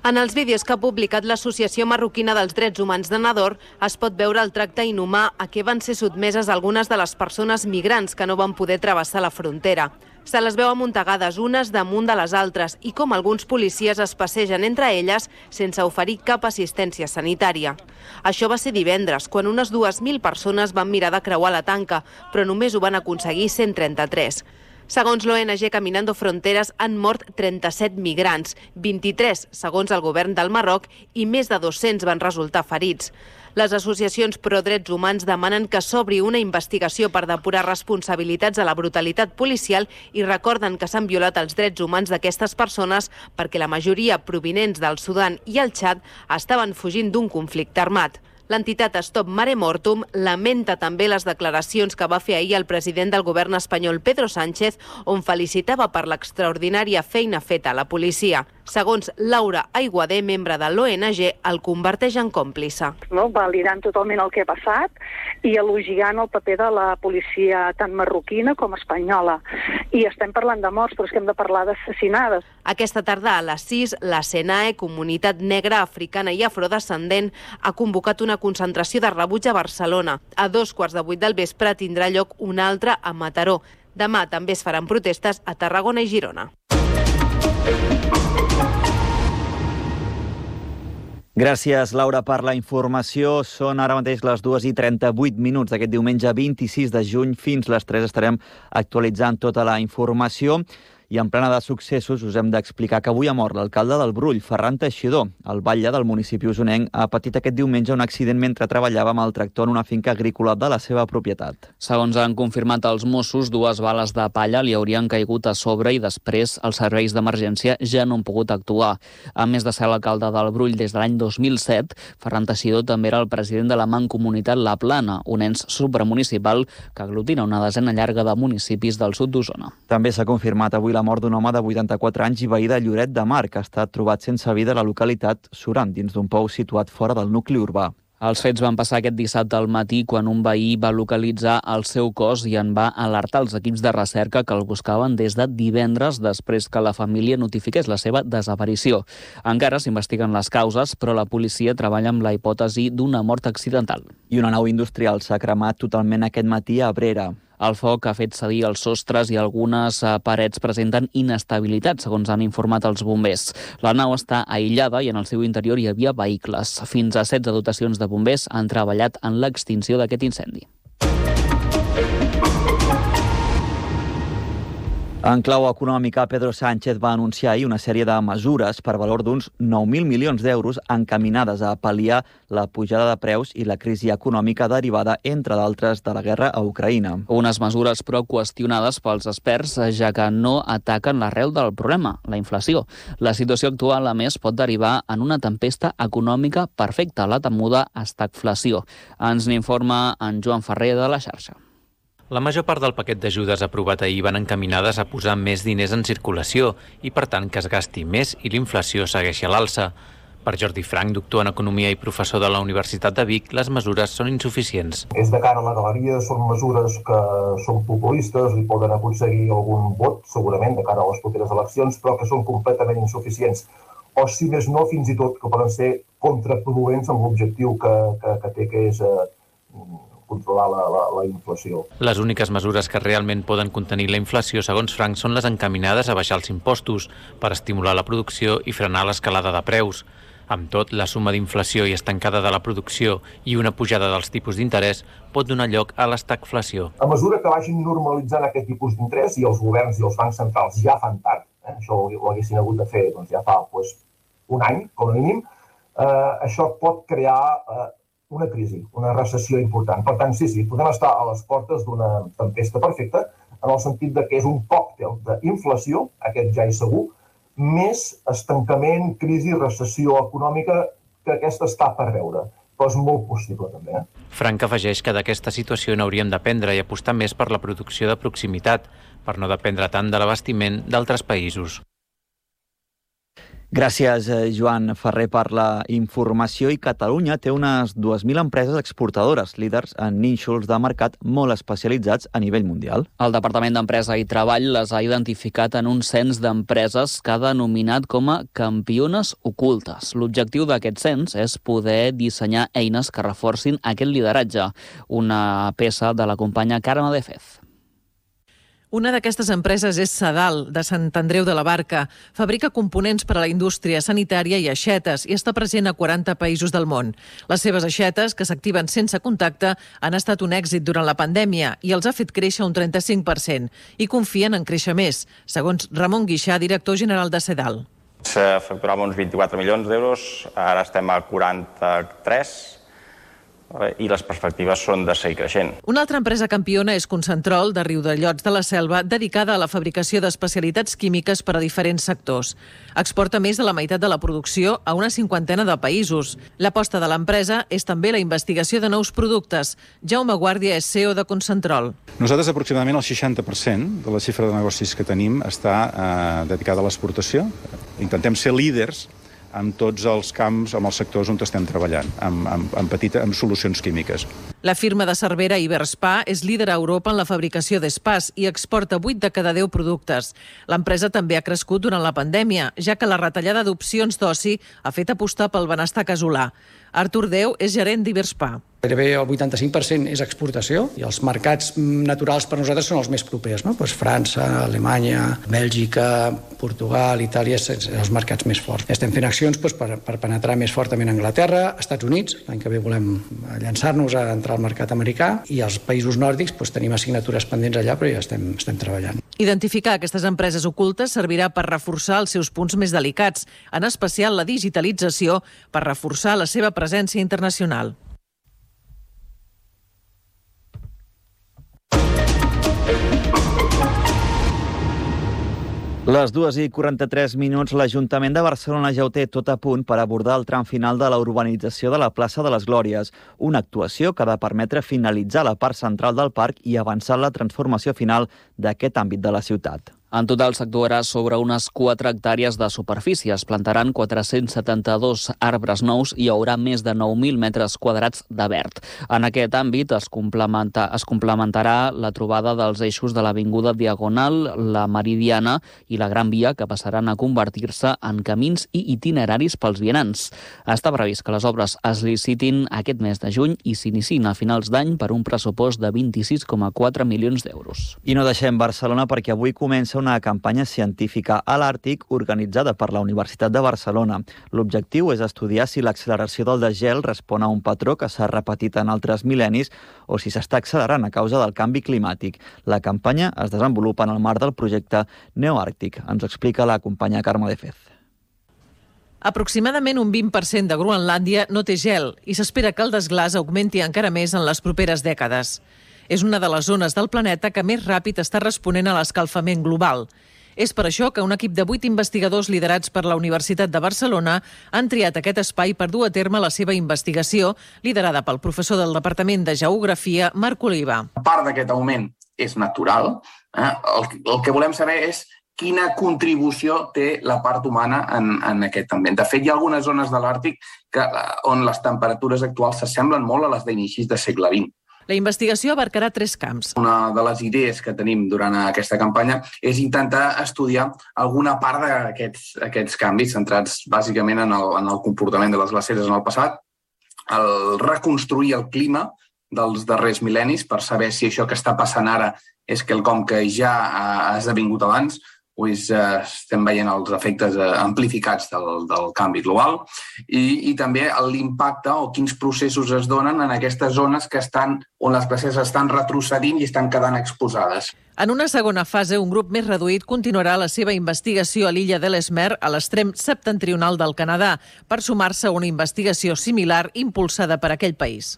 En els vídeos que ha publicat l'Associació Marroquina dels Drets Humans de Nador es pot veure el tracte inhumà a què van ser sotmeses algunes de les persones migrants que no van poder travessar la frontera. Se les veu amuntegades unes damunt de les altres i com alguns policies es passegen entre elles sense oferir cap assistència sanitària. Això va ser divendres, quan unes dues mil persones van mirar de creuar la tanca, però només ho van aconseguir cent trenta-tres. Segons l'O N G Caminando Fronteras, han mort trenta-set migrants, vint-i-tres segons el govern del Marroc i més de dos-cents van resultar ferits. Les associacions pro drets humans demanen que s'obri una investigació per depurar responsabilitats de la brutalitat policial i recorden que s'han violat els drets humans d'aquestes persones perquè la majoria provinents del Sudan i el Txad estaven fugint d'un conflicte armat. L'entitat Stop Mare Mortum lamenta també les declaracions que va fer ahir el president del govern espanyol Pedro Sánchez, on felicitava per l'extraordinària feina feta a la policia. Segons Laura Aiguader, membre de l'O N G, el converteix en còmplice. No, validant totalment el que ha passat i elogiant el paper de la policia tant marroquina com espanyola. I estem parlant de morts, però és que hem de parlar d'assassinades. Aquesta tarda a les sis, la SENAE, Comunitat Negra, Africana i Afrodescendent, ha convocat una concentració de rebuig a Barcelona. A dos quarts de vuit del vespre tindrà lloc una altra a Mataró. Demà també es faran protestes a Tarragona i Girona. Gràcies, Laura, per la informació. Són ara mateix les dues i trenta-vuit minuts d'aquest diumenge vint-i-sis de juny. Fins les tres estarem actualitzant tota la informació. I en plena de successos us hem d'explicar que avui ha mort l'alcalde del Brull, Ferran Teixidor. El batlle del municipi usonenc ha patit aquest diumenge un accident mentre treballava amb el tractor en una finca agrícola de la seva propietat. Segons han confirmat els Mossos, dues bales de palla li haurien caigut a sobre i després els serveis d'emergència ja no han pogut actuar. A més de ser l'alcalde del Brull des de l'any dos mil set, Ferran Teixidor també era el president de la Mancomunitat La Plana, un ens supramunicipal que aglutina una desena llarga de municipis del sud d'Osona. També s'ha confirmat avui la mort d'un home de vuitanta-quatre anys i veí de Lloret de Mar, que ha estat trobat sense vida a la localitat Suram, dins d'un pou situat fora del nucli urbà. Els fets van passar aquest dissabte al matí quan un veí va localitzar el seu cos i en va alertar els equips de recerca que el buscaven des de divendres després que la família notifiqués la seva desaparició. Encara s'investiguen les causes, però la policia treballa amb la hipòtesi d'una mort accidental. I una nau industrial s'ha cremat totalment aquest matí a Abrera. El foc ha fet cedir els sostres i algunes parets presenten inestabilitat, segons han informat els bombers. La nau està aïllada i en el seu interior hi havia vehicles. Fins a setze dotacions de bombers han treballat en l'extinció d'aquest incendi. En clau econòmica, Pedro Sánchez va anunciar ahir una sèrie de mesures per valor d'uns nou mil milions d'euros encaminades a pal·liar la pujada de preus i la crisi econòmica derivada, entre d'altres, de la guerra a Ucraïna. Unes mesures, però, qüestionades pels experts, ja que no ataquen l'arrel del problema, la inflació. La situació actual, a més, pot derivar en una tempesta econòmica perfecta, la temuda estagflació. Ens n'informa en Joan Ferrer de la xarxa. La major part del paquet d'ajudes aprovat ahir van encaminades a posar més diners en circulació i, per tant, que es gasti més i l'inflació segueixi a l'alça. Per Jordi Frank, doctor en Economia i professor de la Universitat de Vic, les mesures són insuficients. És de cara a la galeria, són mesures que són populistes i poden aconseguir algun vot, segurament, de cara a les properes eleccions, però que són completament insuficients. O, si més no, fins i tot que poden ser contraproduents amb l'objectiu que, que, que té, que és eh, controlar la, la, la inflació. Les úniques mesures que realment poden contenir la inflació, segons Frank, són les encaminades a baixar els impostos per estimular la producció i frenar l'escalada de preus. Amb tot, la suma d'inflació i estancada de la producció i una pujada dels tipus d'interès pot donar lloc a l'estagflació. A mesura que vagin normalitzant aquest tipus d'interès, i els governs i els bancs centrals ja fan tard, eh, això ho haguessin hagut de fer doncs, ja fa doncs, un any, com a mínim, eh, això pot crear eh, una crisi, una recessió important. Per tant, sí, sí, podem estar a les portes d'una tempesta perfecta, en el sentit de que és un còctel d'inflació, aquest ja és segur, més estancament, crisi, recessió econòmica, que aquesta està per veure. Però és molt possible, també. Eh? Frank afegeix que d'aquesta situació n'hauríem d'aprendre i apostar més per la producció de proximitat, per no dependre tant de l'abastiment d'altres països. Gràcies, Joan Ferrer, per la informació. I Catalunya té unes dues mil empreses exportadores, líders en nínxols de mercat molt especialitzats a nivell mundial. El Departament d'Empresa i Treball les ha identificat en un cens d'empreses que ha denominat com a campiones ocultes. L'objectiu d'aquest cens és poder dissenyar eines que reforcin aquest lideratge. Una peça de la companya Carme de Fez. Una d'aquestes empreses és Sadal, de Sant Andreu de la Barca. Fabrica components per a la indústria sanitària i aixetes i està present a quaranta països del món. Les seves aixetes, que s'activen sense contacte, han estat un èxit durant la pandèmia i els ha fet créixer un trenta-cinc per cent i confien en créixer més, segons Ramon Guixà, director general de Sadal. Se facturava uns vint-i-quatre milions d'euros, ara estem a quaranta-tres i les perspectives són de seguir creixent. Una altra empresa campiona és Concentrol, de Riudellots de la Selva, dedicada a la fabricació d'especialitats químiques per a diferents sectors. Exporta més de la meitat de la producció a una cinquantena de països. L'aposta de l'empresa és també la investigació de nous productes. Jaume Guàrdia és C E O de Concentrol. Nosaltres aproximadament el seixanta per cent de la xifra de negocis que tenim està eh, dedicada a l'exportació. Intentem ser líders amb tots els camps, amb els sectors on estem treballant, amb, amb, amb, petita, amb solucions químiques. La firma de Cervera Iberspa és líder a Europa en la fabricació d'espas i exporta vuit de cada deu productes. L'empresa també ha crescut durant la pandèmia, ja que la retallada d'opcions d'oci ha fet apostar pel benestar casolà. Artur Déu és gerent d'Iberspa. Gairebé el vuitanta-cinc per cent és exportació i els mercats naturals per nosaltres són els més propers, no? Pues França, Alemanya, Bèlgica, Portugal, Itàlia, són els mercats més forts. Estem fent accions pues, per, per penetrar més fortament a Anglaterra, Estats Units, l'any que ve volem llançar-nos a entrar al mercat americà, i als països nòrdics pues, tenim assignatures pendents allà, però ja estem, estem treballant. Identificar aquestes empreses ocultes servirà per reforçar els seus punts més delicats, en especial la digitalització, per reforçar la seva presència internacional. Les dues i quaranta-tres minuts, l'Ajuntament de Barcelona ja ho té tot a punt per abordar el tram final de la urbanització de la plaça de les Glòries, una actuació que ha de permetre finalitzar la part central del parc i avançar la transformació final d'aquest àmbit de la ciutat. En total s'actuarà sobre unes quatre hectàrees de superfície. Es plantaran quatre-cents setanta-dos arbres nous i hi haurà més de nou mil metres quadrats de verd. En aquest àmbit es, complementa, es complementarà la trobada dels eixos de l'Avinguda Diagonal, la Meridiana i la Gran Via, que passaran a convertir-se en camins i itineraris pels vianants. Està previst que les obres es licitin aquest mes de juny i s'iniciïn a finals d'any per un pressupost de vint-i-sis coma quatre milions d'euros. I no deixem Barcelona perquè avui comença una campanya científica a l'Àrtic organitzada per la Universitat de Barcelona. L'objectiu és estudiar si l'acceleració del desgel respon a un patró que s'ha repetit en altres mil·lennis o si s'està accelerant a causa del canvi climàtic. La campanya es desenvolupa en el marc del projecte Neoàrtic. Ens ho explica la companya Carme de Fez. Aproximadament un vint per cent de Groenlàndia no té gel i s'espera que el desglàs augmenti encara més en les properes dècades. És una de les zones del planeta que més ràpid està responent a l'escalfament global. És per això que un equip de vuit investigadors liderats per la Universitat de Barcelona han triat aquest espai per dur a terme la seva investigació, liderada pel professor del Departament de Geografia, Marc Oliva. Part d'aquest augment és natural. Eh? El, el que volem saber és quina contribució té la part humana en, en aquest ambient. De fet, hi ha algunes zones de l'Àrtic que, on les temperatures actuals s'assemblen molt a les d'inicis del segle vint. La investigació abarcarà tres camps. Una de les idees que tenim durant aquesta campanya és intentar estudiar alguna part d'aquests aquests canvis centrats bàsicament en el, en el comportament de les glaceres en el passat, el reconstruir el clima dels darrers mil·lennis per saber si això que està passant ara és quelcom que ja ha esdevingut abans o és, eh, estem veient els efectes eh, amplificats del, del canvi global i, i també l'impacte o quins processos es donen en aquestes zones que estan, on les glaceres estan retrocedint i estan quedant exposades. En una segona fase, un grup més reduït continuarà la seva investigació a l'illa d'Ellesmere, a l'extrem septentrional del Canadà, per sumar-se a una investigació similar impulsada per aquell país.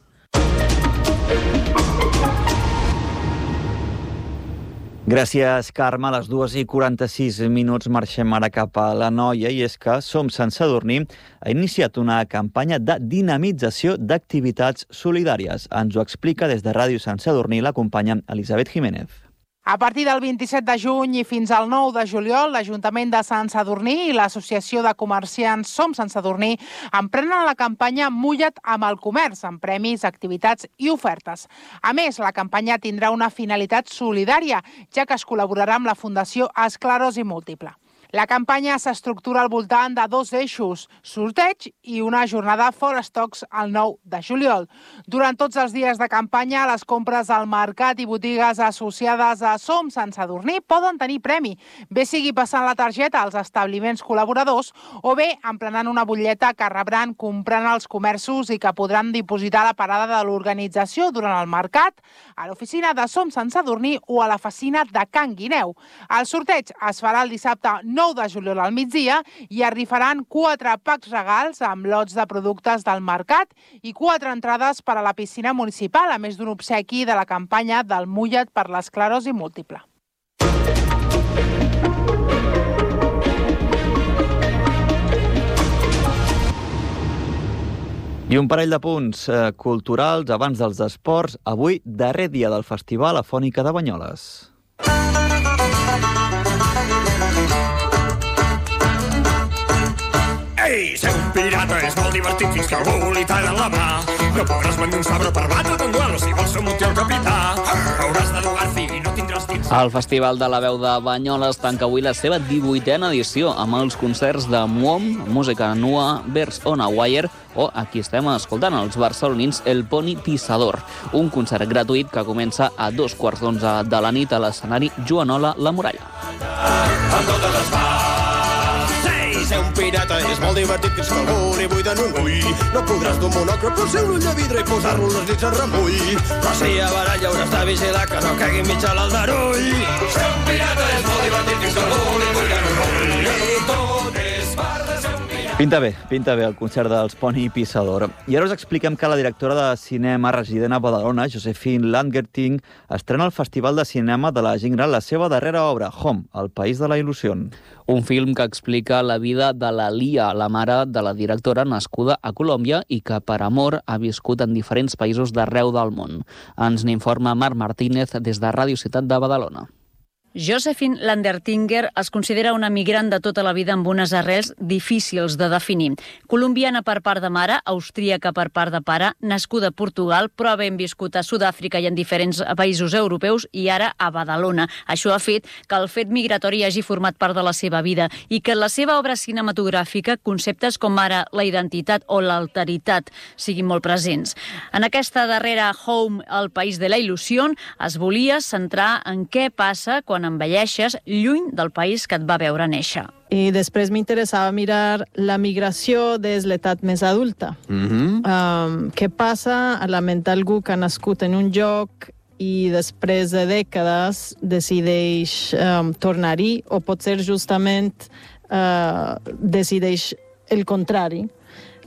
Gràcies, Carme. A les dues i quaranta-sis minuts marxem ara cap a l'Anoia i és que Som Sant Sadurní ha iniciat una campanya de dinamització d'activitats solidàries. Ens ho explica des de Ràdio Sant Sadurní la companya Elisabet Jiménez. A partir del vint-i-set de juny i fins al nou de juliol, l'Ajuntament de Sant Sadurní i l'Associació de Comerciants Som Sant Sadurní emprenen la campanya Mulla't amb el comerç, amb premis, activitats i ofertes. A més, la campanya tindrà una finalitat solidària, ja que es col·laborarà amb la Fundació Esclerosi Múltiple. La campanya s'estructura al voltant de dos eixos, sorteig i una jornada fora estocs el nou de juliol. Durant tots els dies de campanya, les compres al mercat i botigues associades a Som Sant Sadurní poden tenir premi, bé sigui passant la targeta als establiments col·laboradors o bé emplenant una butlleta que rebran comprant als comerços i que podran dipositar a la parada de l'organització durant el mercat, a l'oficina de Som Sant Sadurní o a la oficina de Can Guineu. El sorteig es farà el dissabte nou de juliol al migdia i es rifaran quatre packs regals amb lots de productes del mercat i quatre entrades per a la piscina municipal, a més d'un obsequi de la campanya del Mulla't per l'esclerosi múltiple. I un parell de punts eh, culturals abans dels esports. Avui, darrer dia del Festival Afònica de Banyoles. Ei, ser un pirata és molt divertit fins que algú li talla la mà. No podràs vendre un sabre per batre d'un duel, si vols ser un multi el capità. Hauràs de jugar fi i no tindràs dins. El Festival de la Veu de Banyoles tanca avui la seva divuitena edició amb els concerts de Muom, música nua, vers on a wire o aquí estem escoltant els barcelonins El Poni Pissador, un concert gratuït que comença a dos quarts d'onze de la nit a l'escenari Joanola La Muralla. A totes les parts. Ser un pirata és molt divertit fins que algú li buiden un ull. No podràs d'un monocle per ser un ull de vidre i posar-lo les nits en remull. Però si a baralla hauràs de vigilar que no caigui mig a l'aldarull. Ser un pirata és molt divertit fins que algú li buiden un ull. I tot és part de ser un pirata. Pinta bé, pinta bé el concert dels Poni Pissador. I ara us expliquem que la directora de cinema resident a Badalona, Josephine Langerting, estrena al Festival de Cinema de la Gent Gran la seva darrera obra, Home, el país de la il·lusió. Un film que explica la vida de la Lia, la mare de la directora nascuda a Colòmbia i que per amor ha viscut en diferents països d'arreu del món. Ens n'informa Marc Martínez des de Ràdio Ciutat de Badalona. Josephine Landertinger es considera una migrant de tota la vida amb unes arrels difícils de definir. Colombiana per part de mare, austríaca per part de pare, nascuda a Portugal, però havent viscut a Sud-àfrica i en diferents països europeus i ara a Badalona. Això ha fet que el fet migratori hagi format part de la seva vida i que en la seva obra cinematogràfica conceptes com ara la identitat o l'alteritat siguin molt presents. En aquesta darrera Home, el país de la il·lusió, es volia centrar en què passa quan envelleixes lluny del país que et va veure néixer. I després m'interessava mirar la migració des l'edat més adulta. Mm-hmm. um, què passa a la ment d'algú que ha nascut en un lloc i després de dècades decideix um, tornar-hi, o potser justament uh, decideix el contrari.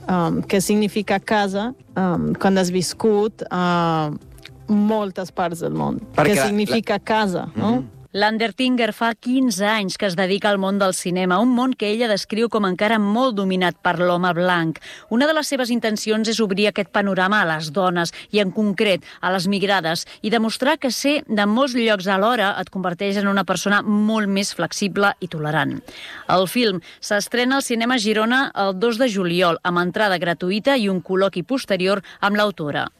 Um, què significa casa um, quan has viscut a uh, moltes parts del món. Perquè què significa la... casa, no? Mm-hmm. Landertinger fa quinze anys que es dedica al món del cinema, un món que ella descriu com encara molt dominat per l'home blanc. Una de les seves intencions és obrir aquest panorama a les dones, i en concret a les migrades, i demostrar que ser de molts llocs alhora et converteix en una persona molt més flexible i tolerant. El film s'estrena al Cinema Girona el dos de juliol, amb entrada gratuïta i un col·loqui posterior amb l'autora.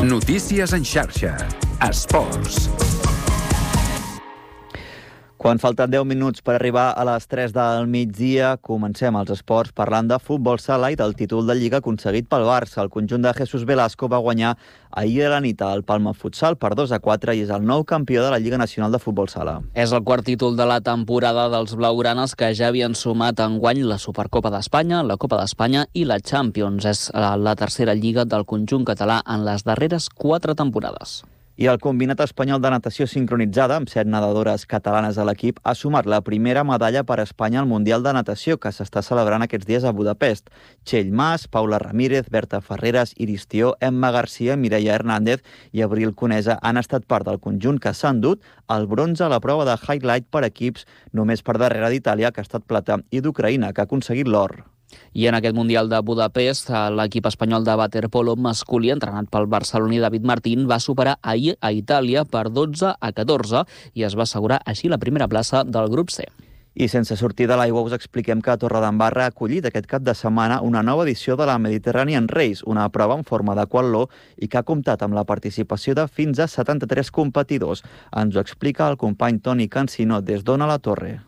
Notícies en xarxa. Esports. Quan falten deu minuts per arribar a les tres del migdia, comencem els esports parlant de futbol sala i del títol de Lliga aconseguit pel Barça. El conjunt de Jesús Velasco va guanyar ahir a la nit al Palma Futsal per dos a quatre i és el nou campió de la Lliga Nacional de Futbol Sala. És el quart títol de la temporada dels blaugranes, que ja havien sumat enguany la Supercopa d'Espanya, la Copa d'Espanya i la Champions. És la tercera lliga del conjunt català en les darreres quatre temporades. I el combinat espanyol de natació sincronitzada, amb set nedadores catalanes a l'equip, ha sumat la primera medalla per a Espanya al Mundial de Natació, que s'està celebrant aquests dies a Budapest. Txell Mas, Paula Ramírez, Berta Ferreras, Iris Tió, Emma Garcia, Mireia Hernández i Abril Conesa han estat part del conjunt que s'ha endut el bronze a la prova de highlight per equips, només per darrere d'Itàlia, que ha estat plata, i d'Ucraïna, que ha aconseguit l'or. I en aquest Mundial de Budapest, l'equip espanyol de waterpolo masculí, entrenat pel barceloní David Martín, va superar ahir a Itàlia per dotze a catorze i es va assegurar així la primera plaça del grup C. I sense sortir de l'aigua us expliquem que Torredembarra ha acollit aquest cap de setmana una nova edició de la Mediterranean Race, una prova en forma de quatló i que ha comptat amb la participació de fins a setanta-tres competidors. Ens ho explica el company Toni Cancino des d'Ona la Torre.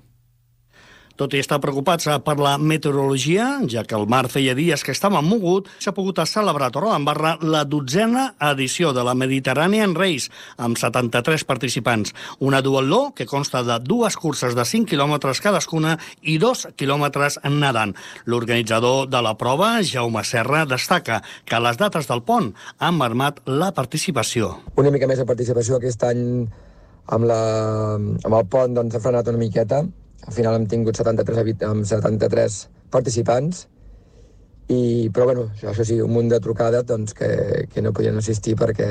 Tot i estar preocupats per la meteorologia, ja que el mar feia dies que estava mogut, s'ha pogut celebrar a Torredembarra la dotzena edició de la Mediterranean Race, amb setanta-tres participants. Una duatló que consta de dues curses de cinc quilòmetres cadascuna i dos quilòmetres nedant. L'organitzador de la prova, Jaume Serra, destaca que les dates del pont han marmat la participació. Una mica més de participació aquest any amb, la, amb el pont, doncs, ha frenat una miqueta. Al final hem tingut setanta-tres, amb setanta-tres participants, i, però bueno, això sí, un munt de trucades doncs, que, que no podien assistir perquè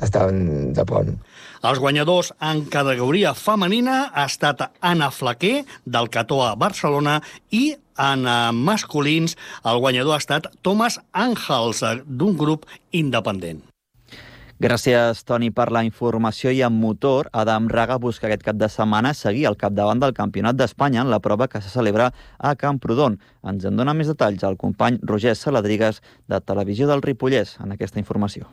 estaven de pont. Els guanyadors en categoria femenina ha estat Anna Flaquer, del Cató a Barcelona, i en masculins el guanyador ha estat Thomas Àngels, d'un grup independent. Gràcies, Toni, per la informació. I en motor, Adam Raga busca aquest cap de setmana seguir al capdavant del Campionat d'Espanya en la prova que se celebra a Camprodon. Ens en dona més detalls el company Roger Saladrigues, de Televisió del Ripollès, en aquesta informació.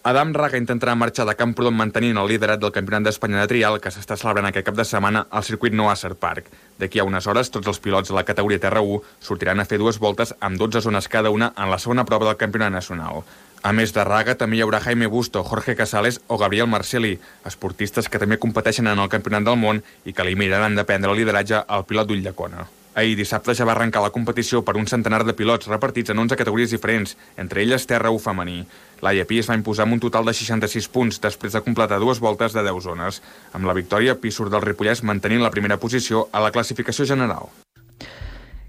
Adam Raga intentarà marxar de Camprodon mantenint el liderat del Campionat d'Espanya de trial que s'està celebrant aquest cap de setmana al circuit Noasser Park. D'aquí a unes hores, tots els pilots de la categoria Terra u sortiran a fer dues voltes amb dotze zones cada una en la segona prova del Campionat Nacional. A més de Raga, també hi haurà Jaime Busto, Jorge Casales o Gabriel Marcelli, esportistes que també competeixen en el Campionat del Món i que li miraran de prendre el lideratge al pilot d'Ulldecona. Ahir dissabte ja va arrencar la competició per un centenar de pilots repartits en onze categories diferents, entre elles Terra u femení. L'A I A Pi es va imposar amb un total de seixanta-sis punts després de completar dues voltes de deu zones. Amb la victòria, Pi surt del Ripollès mantenint la primera posició a la classificació general.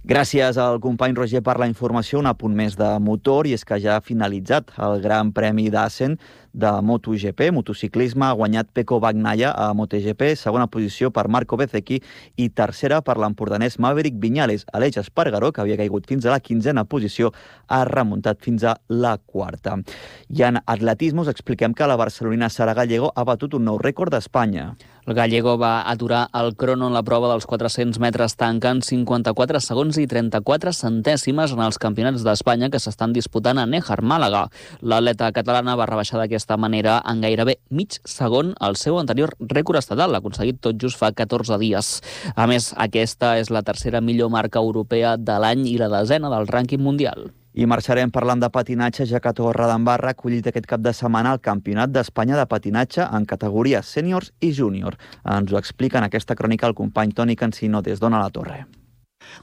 Gràcies al company Roger per la informació. Un apunt més de motor, i és que ja ha finalitzat el Gran Premi d'Assen de MotoGP, motociclisme, ha guanyat Pecco Bagnaia a MotoGP, segona posició per Marco Bezzecchi i tercera per l'empordanès Maverick Viñales. Aleix Espargaró, que havia caigut fins a la quinzena posició, ha remuntat fins a la quarta. I en atletisme us expliquem que la barcelonina Sara Gallego ha batut un nou rècord d'Espanya. El Gallego va aturar el crono en la prova dels quatre-cents metres tancant cinquanta-quatre segons i trenta-quatre centèsimes en els campionats d'Espanya que s'estan disputant a Néjar, Màlaga. L'atleta catalana va rebaixar d'aquesta manera en gairebé mig segon el seu anterior rècord estatal, aconseguit tot just fa catorze dies. A més, aquesta és la tercera millor marca europea de l'any i la desena del rànquing mundial. I marxarem parlant de patinatge, ja que Torredembarra ha acollit aquest cap de setmana el Campionat d'Espanya de patinatge en categories sèniors i júnior. Ens ho explica en aquesta crònica el company Toni Cancino des d'Ona la Torre.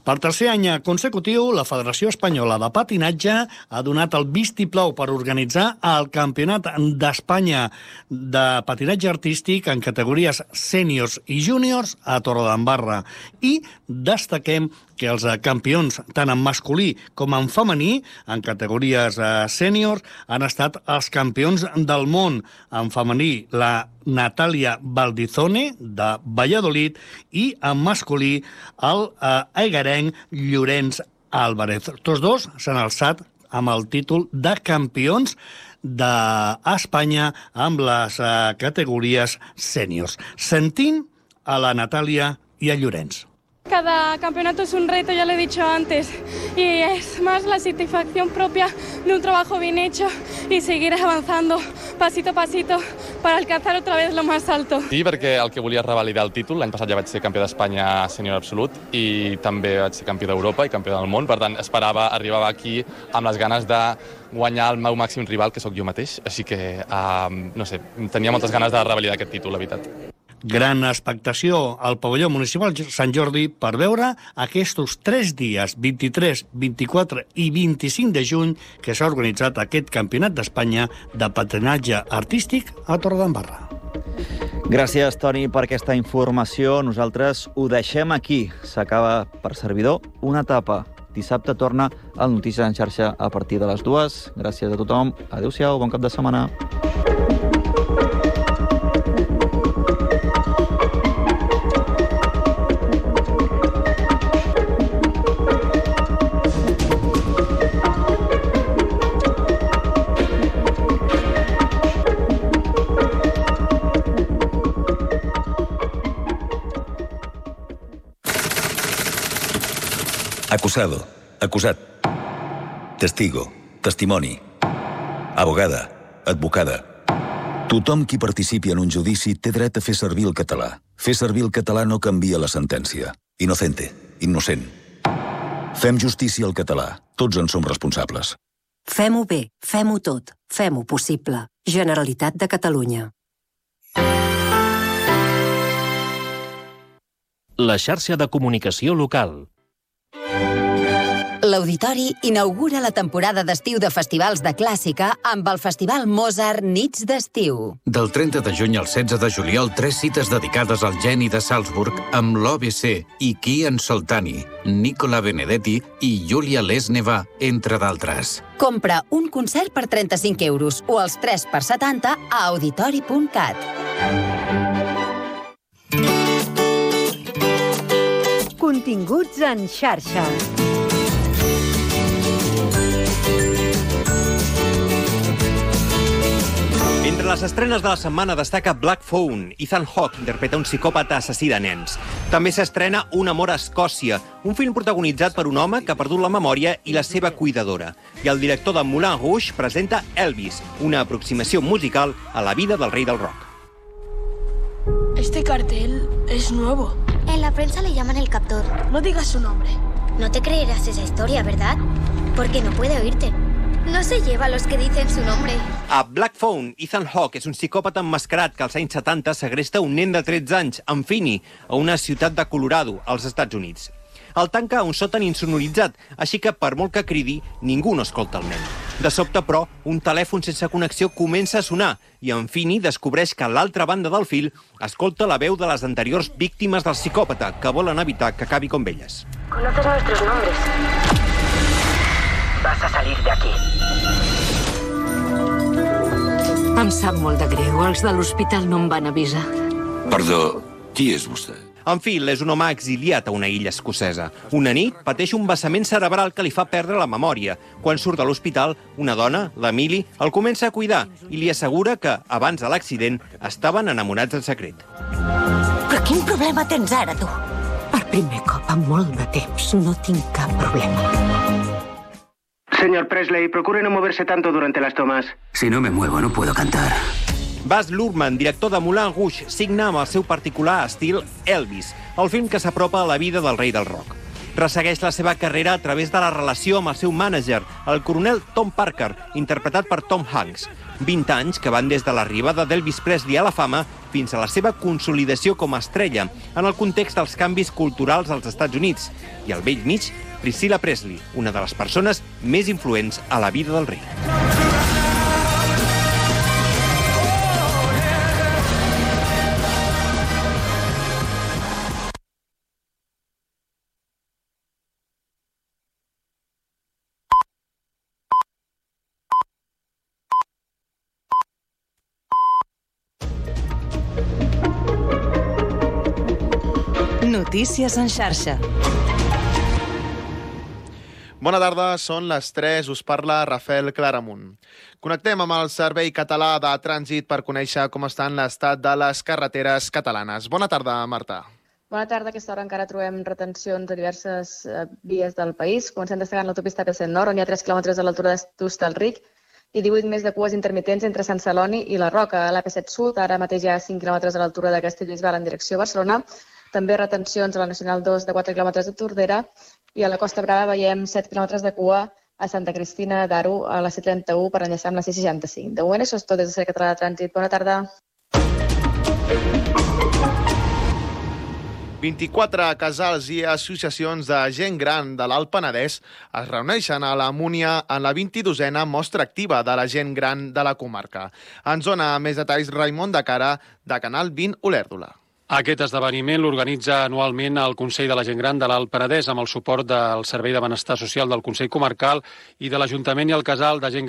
Per tercer any consecutiu, la Federació Espanyola de Patinatge ha donat el vistiplau per organitzar el Campionat d'Espanya de patinatge artístic en categories sèniors i júniors a Torredembarra. I destaquem que els campions, tant en masculí com en femení, en categories sèniors, han estat els campions del món. En femení, la Natàlia Valdizone, de Valladolid, i en masculí, el egarenc Llorenç Álvarez. Tots dos s'han alçat amb el títol de campions d'Espanya amb les categories sèniors. Sentim a la Natàlia i a Llorenç. Cada campeonato es un reto, ya lo he dicho antes, y es más la satisfacción propia de un trabajo bien hecho y seguir avanzando pasito a pasito para alcanzar otra vez lo más alto. Sí, perquè el que volia és revalidar el títol. L'any passat ja vaig ser campió d'Espanya sènior absolut i també vaig ser campió d'Europa i campió del món. Per tant, esperava, arribava aquí amb les ganes de guanyar el meu màxim rival, que sóc jo mateix. Així que, uh, no sé, tenia moltes ganes de revalidar aquest títol, la veritat. Gran expectació al pavelló municipal Sant Jordi per veure aquests tres dies, vint-i-tres, vint-i-quatre i vint-i-cinc de juny, que s'ha organitzat aquest Campionat d'Espanya de patinatge artístic a Torredembarra. Gràcies, Toni, per aquesta informació. Nosaltres ho deixem aquí. S'acaba per servidor una etapa. Dissabte torna el Notícies en xarxa a partir de les dues. Gràcies a tothom. Adéu-siau, bon cap de setmana. Acusado, acusat, testigo, testimoni, abogada, advocada. Tothom qui participi en un judici té dret a fer servir el català. Fer servir el català no canvia la sentència. Inocente, innocent. Fem justícia al català. Tots en som responsables. Fem-ho bé, fem-ho tot, fem-ho possible. Generalitat de Catalunya. La xarxa de comunicació local. L'Auditori inaugura la temporada d'estiu de festivals de clàssica amb el Festival Mozart Nits d'Estiu. Del trenta de juny al setze de juliol, tres cites dedicades al geni de Salzburg amb l'O B C i Kian Soltani, Nicola Benedetti i Julia Lesneva, entre d'altres. Compra un concert per trenta-cinc euros o els tres per setanta a auditori punt cat. Continguts en xarxa. Entre les estrenes de la setmana destaca Black Phone. Ethan Hawke interpreta un psicòpata assassí de nens. També s'estrena Un amor a Escòcia, un film protagonitzat per un home que ha perdut la memòria i la seva cuidadora. I el director de Moulin Rouge presenta Elvis, una aproximació musical a la vida del rei del rock. Este cartel es nuevo. En la prensa le llaman el captor. No digas su nombre. No te creerás esa historia, ¿verdad? Porque no puede oírte. No se lleva a los que dicen su nombre. A Black Phone, Ethan Hawke és un psicòpata emmascarat que als anys setanta segresta un nen de tretze anys, en Finney, a una ciutat de Colorado, als Estats Units. El tanca a un sòtan insonoritzat, així que per molt que cridi, ningú no escolta el nen. De sobte, però, un telèfon sense connexió comença a sonar i en Finney descobreix que a l'altra banda del fil escolta la veu de les anteriors víctimes del psicòpata que volen evitar que acabi com elles. Conoces nuestros nombres. Vas a salir de aquí. Em sap molt de greu. Els de l'hospital no em van avisar. Perdó, qui és vostè? En Phil és un home exiliat a una illa escocesa. Una nit pateix un vessament cerebral que li fa perdre la memòria. Quan surt de l'hospital, una dona, l'Emily, el comença a cuidar i li assegura que, abans de l'accident, estaven enamorats en secret. Però quin problema tens ara, tu? Per primer cop en molt de temps no tinc cap problema. Señor Presley, procure no moverse tanto durante las tomas. Si no me muevo, no puedo cantar. Baz Luhrmann, director de Moulin Rouge, signa amb el seu particular estil Elvis, el film que s'apropa a la vida del rei del rock. Ressegueix la seva carrera a través de la relació amb el seu mànager, el coronel Tom Parker, interpretat per Tom Hanks. vint anys que van des de l'arribada d'Elvis Presley a la fama fins a la seva consolidació com a estrella, en el context dels canvis culturals als Estats Units. I al vell mig, Priscilla Presley, una de les persones més influents a la vida del rei. Notícies en xarxa. Bona tarda, són les tres, us parla Rafael Claramunt. Connectem amb el Servei Català de Trànsit per conèixer com estan l'estat de les carreteres catalanes. Bona tarda, Marta. Bona tarda. A aquesta hora encara trobem retencions a diverses eh, vies del país. Comencem destacant l'autopista P cent Nord, on hi ha tres quilòmetres a l'altura d'Hostalric i divuit més de cues intermitents entre Sant Celoni i la Roca. A l'A P set Sud, ara mateix hi ha cinc quilòmetres a l'altura de Castellbisbal en direcció a Barcelona. També retencions a la Nacional dos de quatre quilòmetres de Tordera i a la Costa Brava veiem set quilòmetres de cua a Santa Cristina d'Aro a la C trenta-u per enllaçar amb la C seixanta-cinc. De moment, això és tot des del Servei Català de Trànsit. Bona tarda. vint-i-quatre casals i associacions de gent gran de l'Alt Penedès es reuneixen a la Múnia en la vint-i-dosena mostra activa de la gent gran de la comarca. Ens dona més detalls Raimon de Cara, de Canal vint Olèrdola. Aquest esdeveniment l'organitza anualment el Consell de la Gent Gran de l'Alt Penedès amb el suport del Servei de Benestar Social del Consell Comarcal i de l'Ajuntament i el Casal de Gent